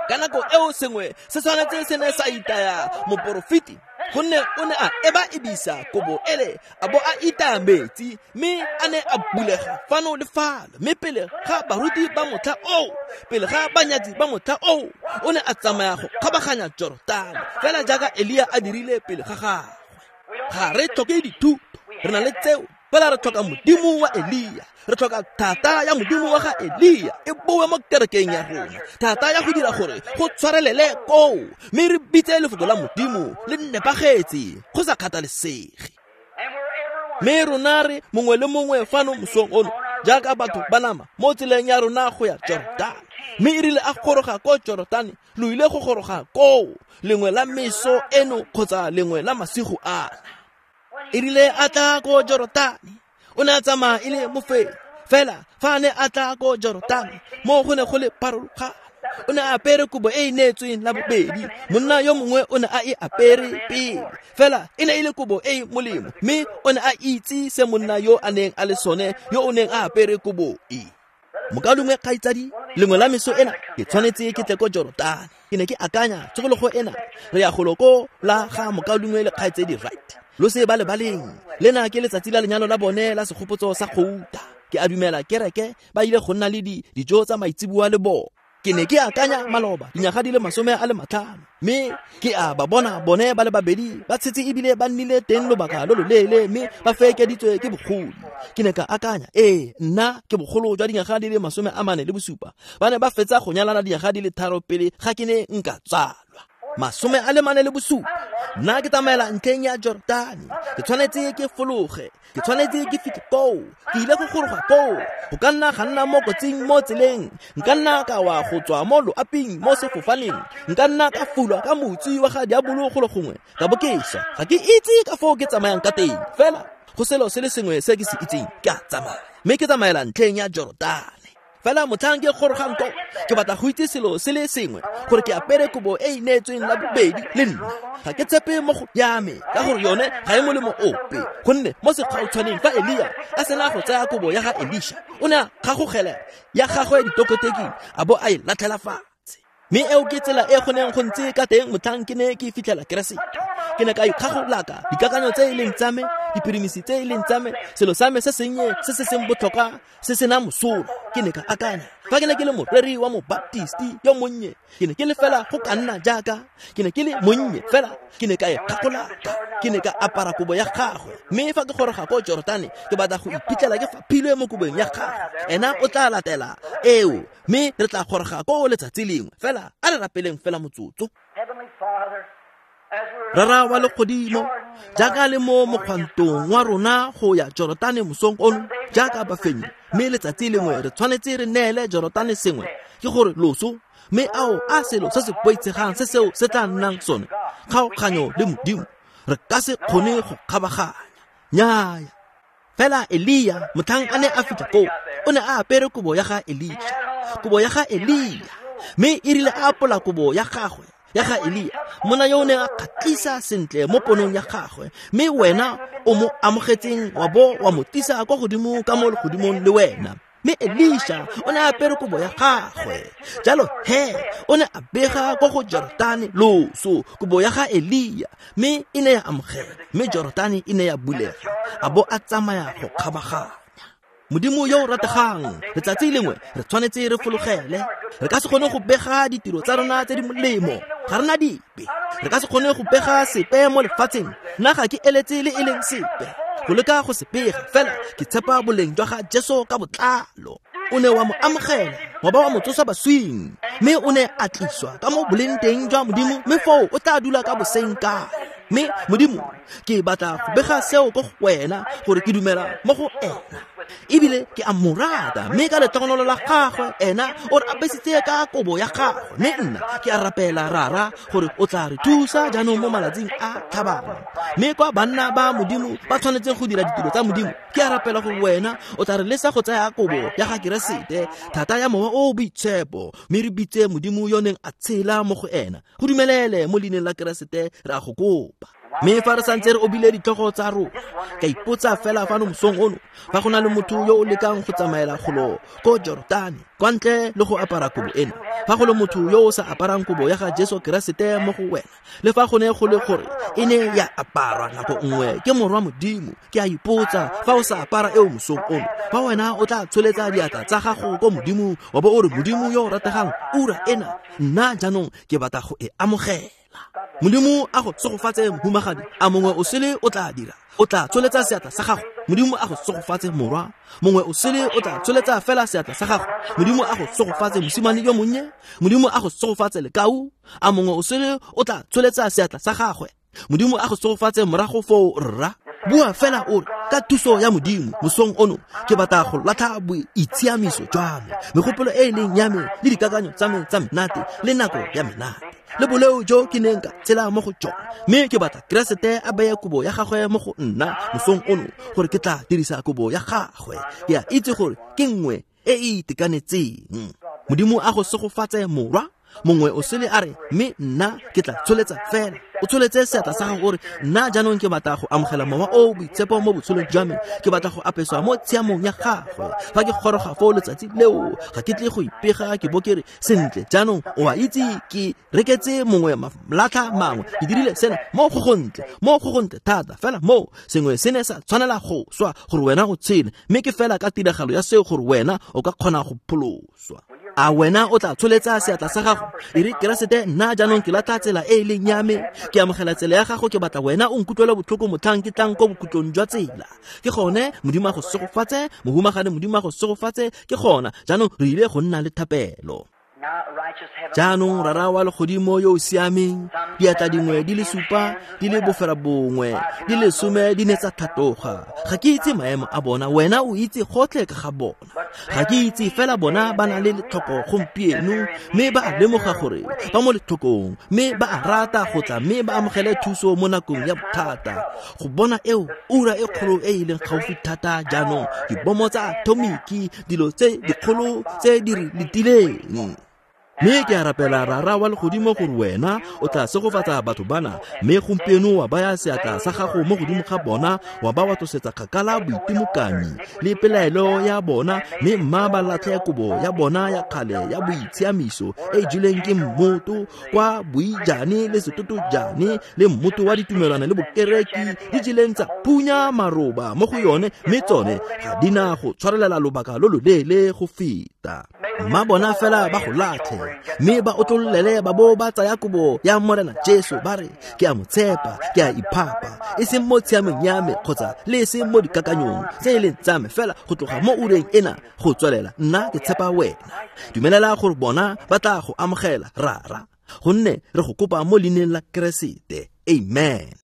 Ka nako eo sengwe se tshwanetse se ne sa itaya moporofeti, gonne o ne a eba ebisa kobo ele, a bo a itaya metsi, mme a ne a bulega fano le fano. Mme pele ga baruti ba motlha oo, pele ga banyatsi ba motlha oo, o ne a tsamaya go kgabaganya Jorotane, fela jaaka Elia a dirile pele ga gagwe. Ga re tlhoke dithuto, re na le tseo. Fela re tlhoka Modimo wa Elia, re tlhoka thata ya Modimo wa ga Elia e boe mo kerekeng ya rona, thata ya go dira gore go tshwarelele koo, mme re bitse lefoko la Modimo le nepagetse go sa kgathalesege. Mme rona re mongwe le mongwe fano mosong ono jaaka batho ba nama mo tseleng ya rona go ya Jorotane. Mme e rile a goroga ko Jorotane, lo ile go goroga koo lengwe la meso eno kgotsa lengwe la masigo ana. E rile a tla ko Jorotane, o ne a tsamaya e le mofenyi. Fela fa a ne a tla ko Jorotane, mo go ne go le pharologano. O ne a apere kobo e e neetsweng la bobedi, monna yo mongwe o ne a e apere pele. Fela e ne e le kobo e e molemo, mme o ne a itse se monna yo a neng a le sone, yo o neng a apere kobo e. Mokaulengwe kgaitsadi, lengwe la meso ena ke tshwanetse ke tle ko Jorotane. Ke ne ke akanya tshokologo ena, re ya golo ko la ga mokaulengwe le kgaitsadi Wright. Lo se ba lebaleng, lena ke letsatsi la lenyalo la bone la segopotso sa gouta. Ke a dumela kereke ba ile go nna le dijo tsa maitseboa le bona. Ke ne ke akanya maloba dinyaga di le masome a le matlhano, mme ke a ba bona bone ba le babedi ba tshetse ebile ba nnile teng lobaka lo loleele, mme ba fekeditswe ke bogolo. Ke ne ka akanya, ee, nna ke bogolo jwa dinyaga di le masome a mane le bosupa. Ba ne ba fetsa go nyalana dinyaga di le tharo pele ga ke ne nka tsalwa. Masome a le mane le bosupa. Nna ke tsamaela ntlheng ya Jorotane, ke tshwanetse ke fologe, ke tshwanetse ke fitlhe koo, ke ile go goroga koo. Go ka nna ga nna mo kotsing mo tseleng, nka nna ka wa go tswa mo loaping mo sefofaneng, nka nna ka fulwa ka motsi wa ga diabolo golo gongwe, ka bo ke swa. Ga ke itse ka foo ke tsamayang ka teng, fela go selo se le sengwe se ke se itseng, ke a tsamaya. Mme ke tsamaela ntlheng ya Jorotane. Fela motlhang ke gorogang ko, ke batla go itse selo se le sengwe, gore ke apere kobo e e neetsweng la bobedi le nna. Ga ke tshepe mo go ya me, ka gore yone ga e molemo ope. Gonne mo sekgautshwaneng fa Elia a sena go tsaya kobo ya ga Elisha, o ne a kgagogela ya gagwe ditokoteking a bo a e latlhela fatshe. Mme eo ke tsela e go neng go ntse ka teng motlhang ke ne ke fitlhela Keresete. Ke ne ka ikgagolaka dikakanyo tse e leng tsa me, dipirimisi tse e leng tsa me, selo sa me se sennye se se seng botlhokwa se sena mosola. Ke ne ka akanya fa ke ne ke le moreri wa mobaptisti yo monnye, ke ne ke le fela go ka nna jaaka ke ne ke le monnye fela, ke ne ka ikgagolaka, ke ne ka apara kobo ya gagwe. Mme fa ke goroga ko Jorotane, ke batla go iphitlhela ke faphilwe mo kobong ya gagwe. Ena o tla latela eo, mme re tla goroga ko letsatsi lengwe. Fela a re rapeleng fela motsotso. Rara wa legodimo, jaaka le mo mokgwantong wa rona go ya Jorotane mosong ono, jaaka bafenyi, mme letsatsi lengwe re tshwanetse re neele Jorotane sengwe, ke gore loso, mme ao a selo se se boitshegang se seo se tla nnang sone, kgaoganyo le Modimo, re ka se kgone go kgabaganya. Nnyaya. Fela Elia motlhang a ne a fitlha koo, o ne a apere kobo ya ga Elisha, kobo ya ga Elia, mme e rile a apola kobo ya gagwe ya ga Elia, monna yo o neng a kgatlhisa sentle mo ponong ya gagwe, mme wena o mo amogetseng wa bo wa mo tisa kwa godimo ka mo legodimong le wena. Mme Elisha o ne a apere kobo ya gagwe, jalo he o ne a bega kwa go Jorotane loso, kobo ya ga Elia, mme e ne ya amogela, mme Jorotane e ne ya bulega, a bo a tsamaya go kgabaganya. Modimo yo o rategang, letsatsi lengwe re tshwanetse re fologele. Re ka se kgone go bega ditiro tsa rona tse di molemo, ga rena dipe. Re ka se kgone go bega sepe mo lefatsheng, nna ga ke eletse le e leng sepe go leka go se bega, fela ke tshepa boleng jwa ga Jesu ka botlalo. O ne wa mo amogela, wa ba wa mo tsosa baswing, mme o ne a tliswa ka mo boleng teng jwa Modimo, mme foo o tla dula ka boseng kae. Mme Modimo, ke batla go bega seo ko go wena, gore ke dumela mo go ena, ebile ke a mo rata, mme ka letlhogonolo la gagwe ena o re apesitse ka kobo ya gagwe. Mme nna ke a rapela Rara gore o tla re thusa jaanong mo malatsing a tlhabang. Mme kwa banna ba Modimo ba tshwanetseng go dira ditiro tsa Modimo, ke a rapela gore wena o tla re lesa go tsaya kobo ya ga Keresete, thata ya Mowa o o Boitshepo, mme re bitse Modimo yo neng a tshela mo go ena. Go dumelele mo leineng la Keresete re a go kopa. Mme fa re santse re obile ditlhogo tsa rona, ka ipotsa fela fano mosong ono, fa go na le motho yo o lekang go tsamaela golo ko Jorotane kwa ntle le go apara kobo ena, fa go le motho yo o sa aparang kobo ya ga Jesu Keresete mo go wena, le fa go ne go le gore e ne ya aparwa nako nngwe ke morwa Modimo, ke a ipotsa fa o sa apara eo mosong ono, fa wena o tla tsholetsa diatla tsa gago ko Modimo, wa bo o re, Modimo yo o rategang, ura ena nna jaanong ke batla go e amogela. Modimo a go segofatse mohumagadi, a mongwe o sele o tla dira, o tla tsholetsa seatla sa gago. Modimo a go segofatse morwa, mongwe o sele o tla tsholetsa fela seatla sa gago. Modimo a go segofatse mosimane yo monnye, Modimo a go segofatse lekau, a mongwe o sele o tla tsholetsa seatla sa gagwe. Modimo a go segofatse morago foo rra. Bua fela o re, ka thuso ya Modimo mosong ono ke batla go latlha boitshiamiso jwa me, megopolo e e leng ya me le dikakanyo tsa me tsa menate le nako ya menate le boleo jo ke neng ka tshela mo go jone, mme ke batla Keresete a beye kobo ya gagwe mo go nna mosong ono, gore ke tla dirisa kobo ya gagwe. Ke a itse gore ke nngwe e e itekanetseng. Modimo a go segofatse morwa. Mongwe o sele a re, mme nna ke tla tsholetsa fela. O tsholetse seatla sa gago gore, nna jaanong ke batla go amogela Mowa o o Boitshepo mo botshelong jwa me, ke batla go apeswa mo tshiamong ya gagwe. Fa ke goroga foo letsatsi leo, ga ke tle go ipega ke bo ke re, sentle jaanong o a itse ke reketse mongwe malatlha mangwe, ke dirile sena mo go gontle, mo go gontle thata, fela mo sengwe se ne sa tshwanela go swa gore wena o tshele, mme ke fela ka tiragalo ya seo gore wena o ka kgona go pholoswa. A wena o tla tsholetsa seatla sa gago, e re, Keresete, nna jaanong ke latlha tsela e e leng ya me, ke amogela tsela ya gago, ke batla wena o nkutlwele botlhoko motlhang ke tlang ko bokhutlong jwa tsela. Ke gone Modimo a go segofatse, mohumagadi, Modimo a go segofatse. Ke gona jaanong re ile go nna le thapelo. Jaanong Rara wa legodimo yo o siameng, diatla dingwe di le supa, di le bofera bongwe, di le some di ne tsa tlhatloga. Ga ke itse maemo a bona, wena o itse gotlhe ka ga bona. Ga ke itse fela bona ba na le letlhoko gompieno, mme ba a lemoga gore ba mo letlhokong, mme ba a rata go tla mme ba amogele thuso mo nakong ya bothata. Go bona eo ura e kgolo e e leng gaufi thata jaanong, dibomo tsa atomiki, dilo tse dikgolo tse di re letileng. Mme ke a rapela Rara wa legodimo gore wena o tla segofatsa batho bana, mme gompieno wa baya seatla sa gago mo godimo ga bona, wa ba wa tlosetsa kgakala boitimokanyi le pelaelo ya bona, mme mma ba latlhe kobo ya bona ya kgale ya boitshiamiso e e jelweng ke mmoto kwa boijane le setotojane le mmoto wa ditumelwana le bokereki di jeleng tsa phunya maroba mo go yone, mme tsone ga di na go tshwarelela lobaka lo loleele go feta. Mma bona fela ba go latlhe, mme ba otlololele ba bo ba tsaya kobo ya Morena Jesu, ba re, ke a mo tshepa, ke a iphapa, e seng mo tshiamong ya me kgotsa le e seng mo dikakanyong tse e leng tsa me, fela go tloga mo ureng ena go tswelela nna ke tshepa wena. Dumelela gore bona ba tla go amogela, Rara, gonne re go kopa mo leineng la Keresete. Amen.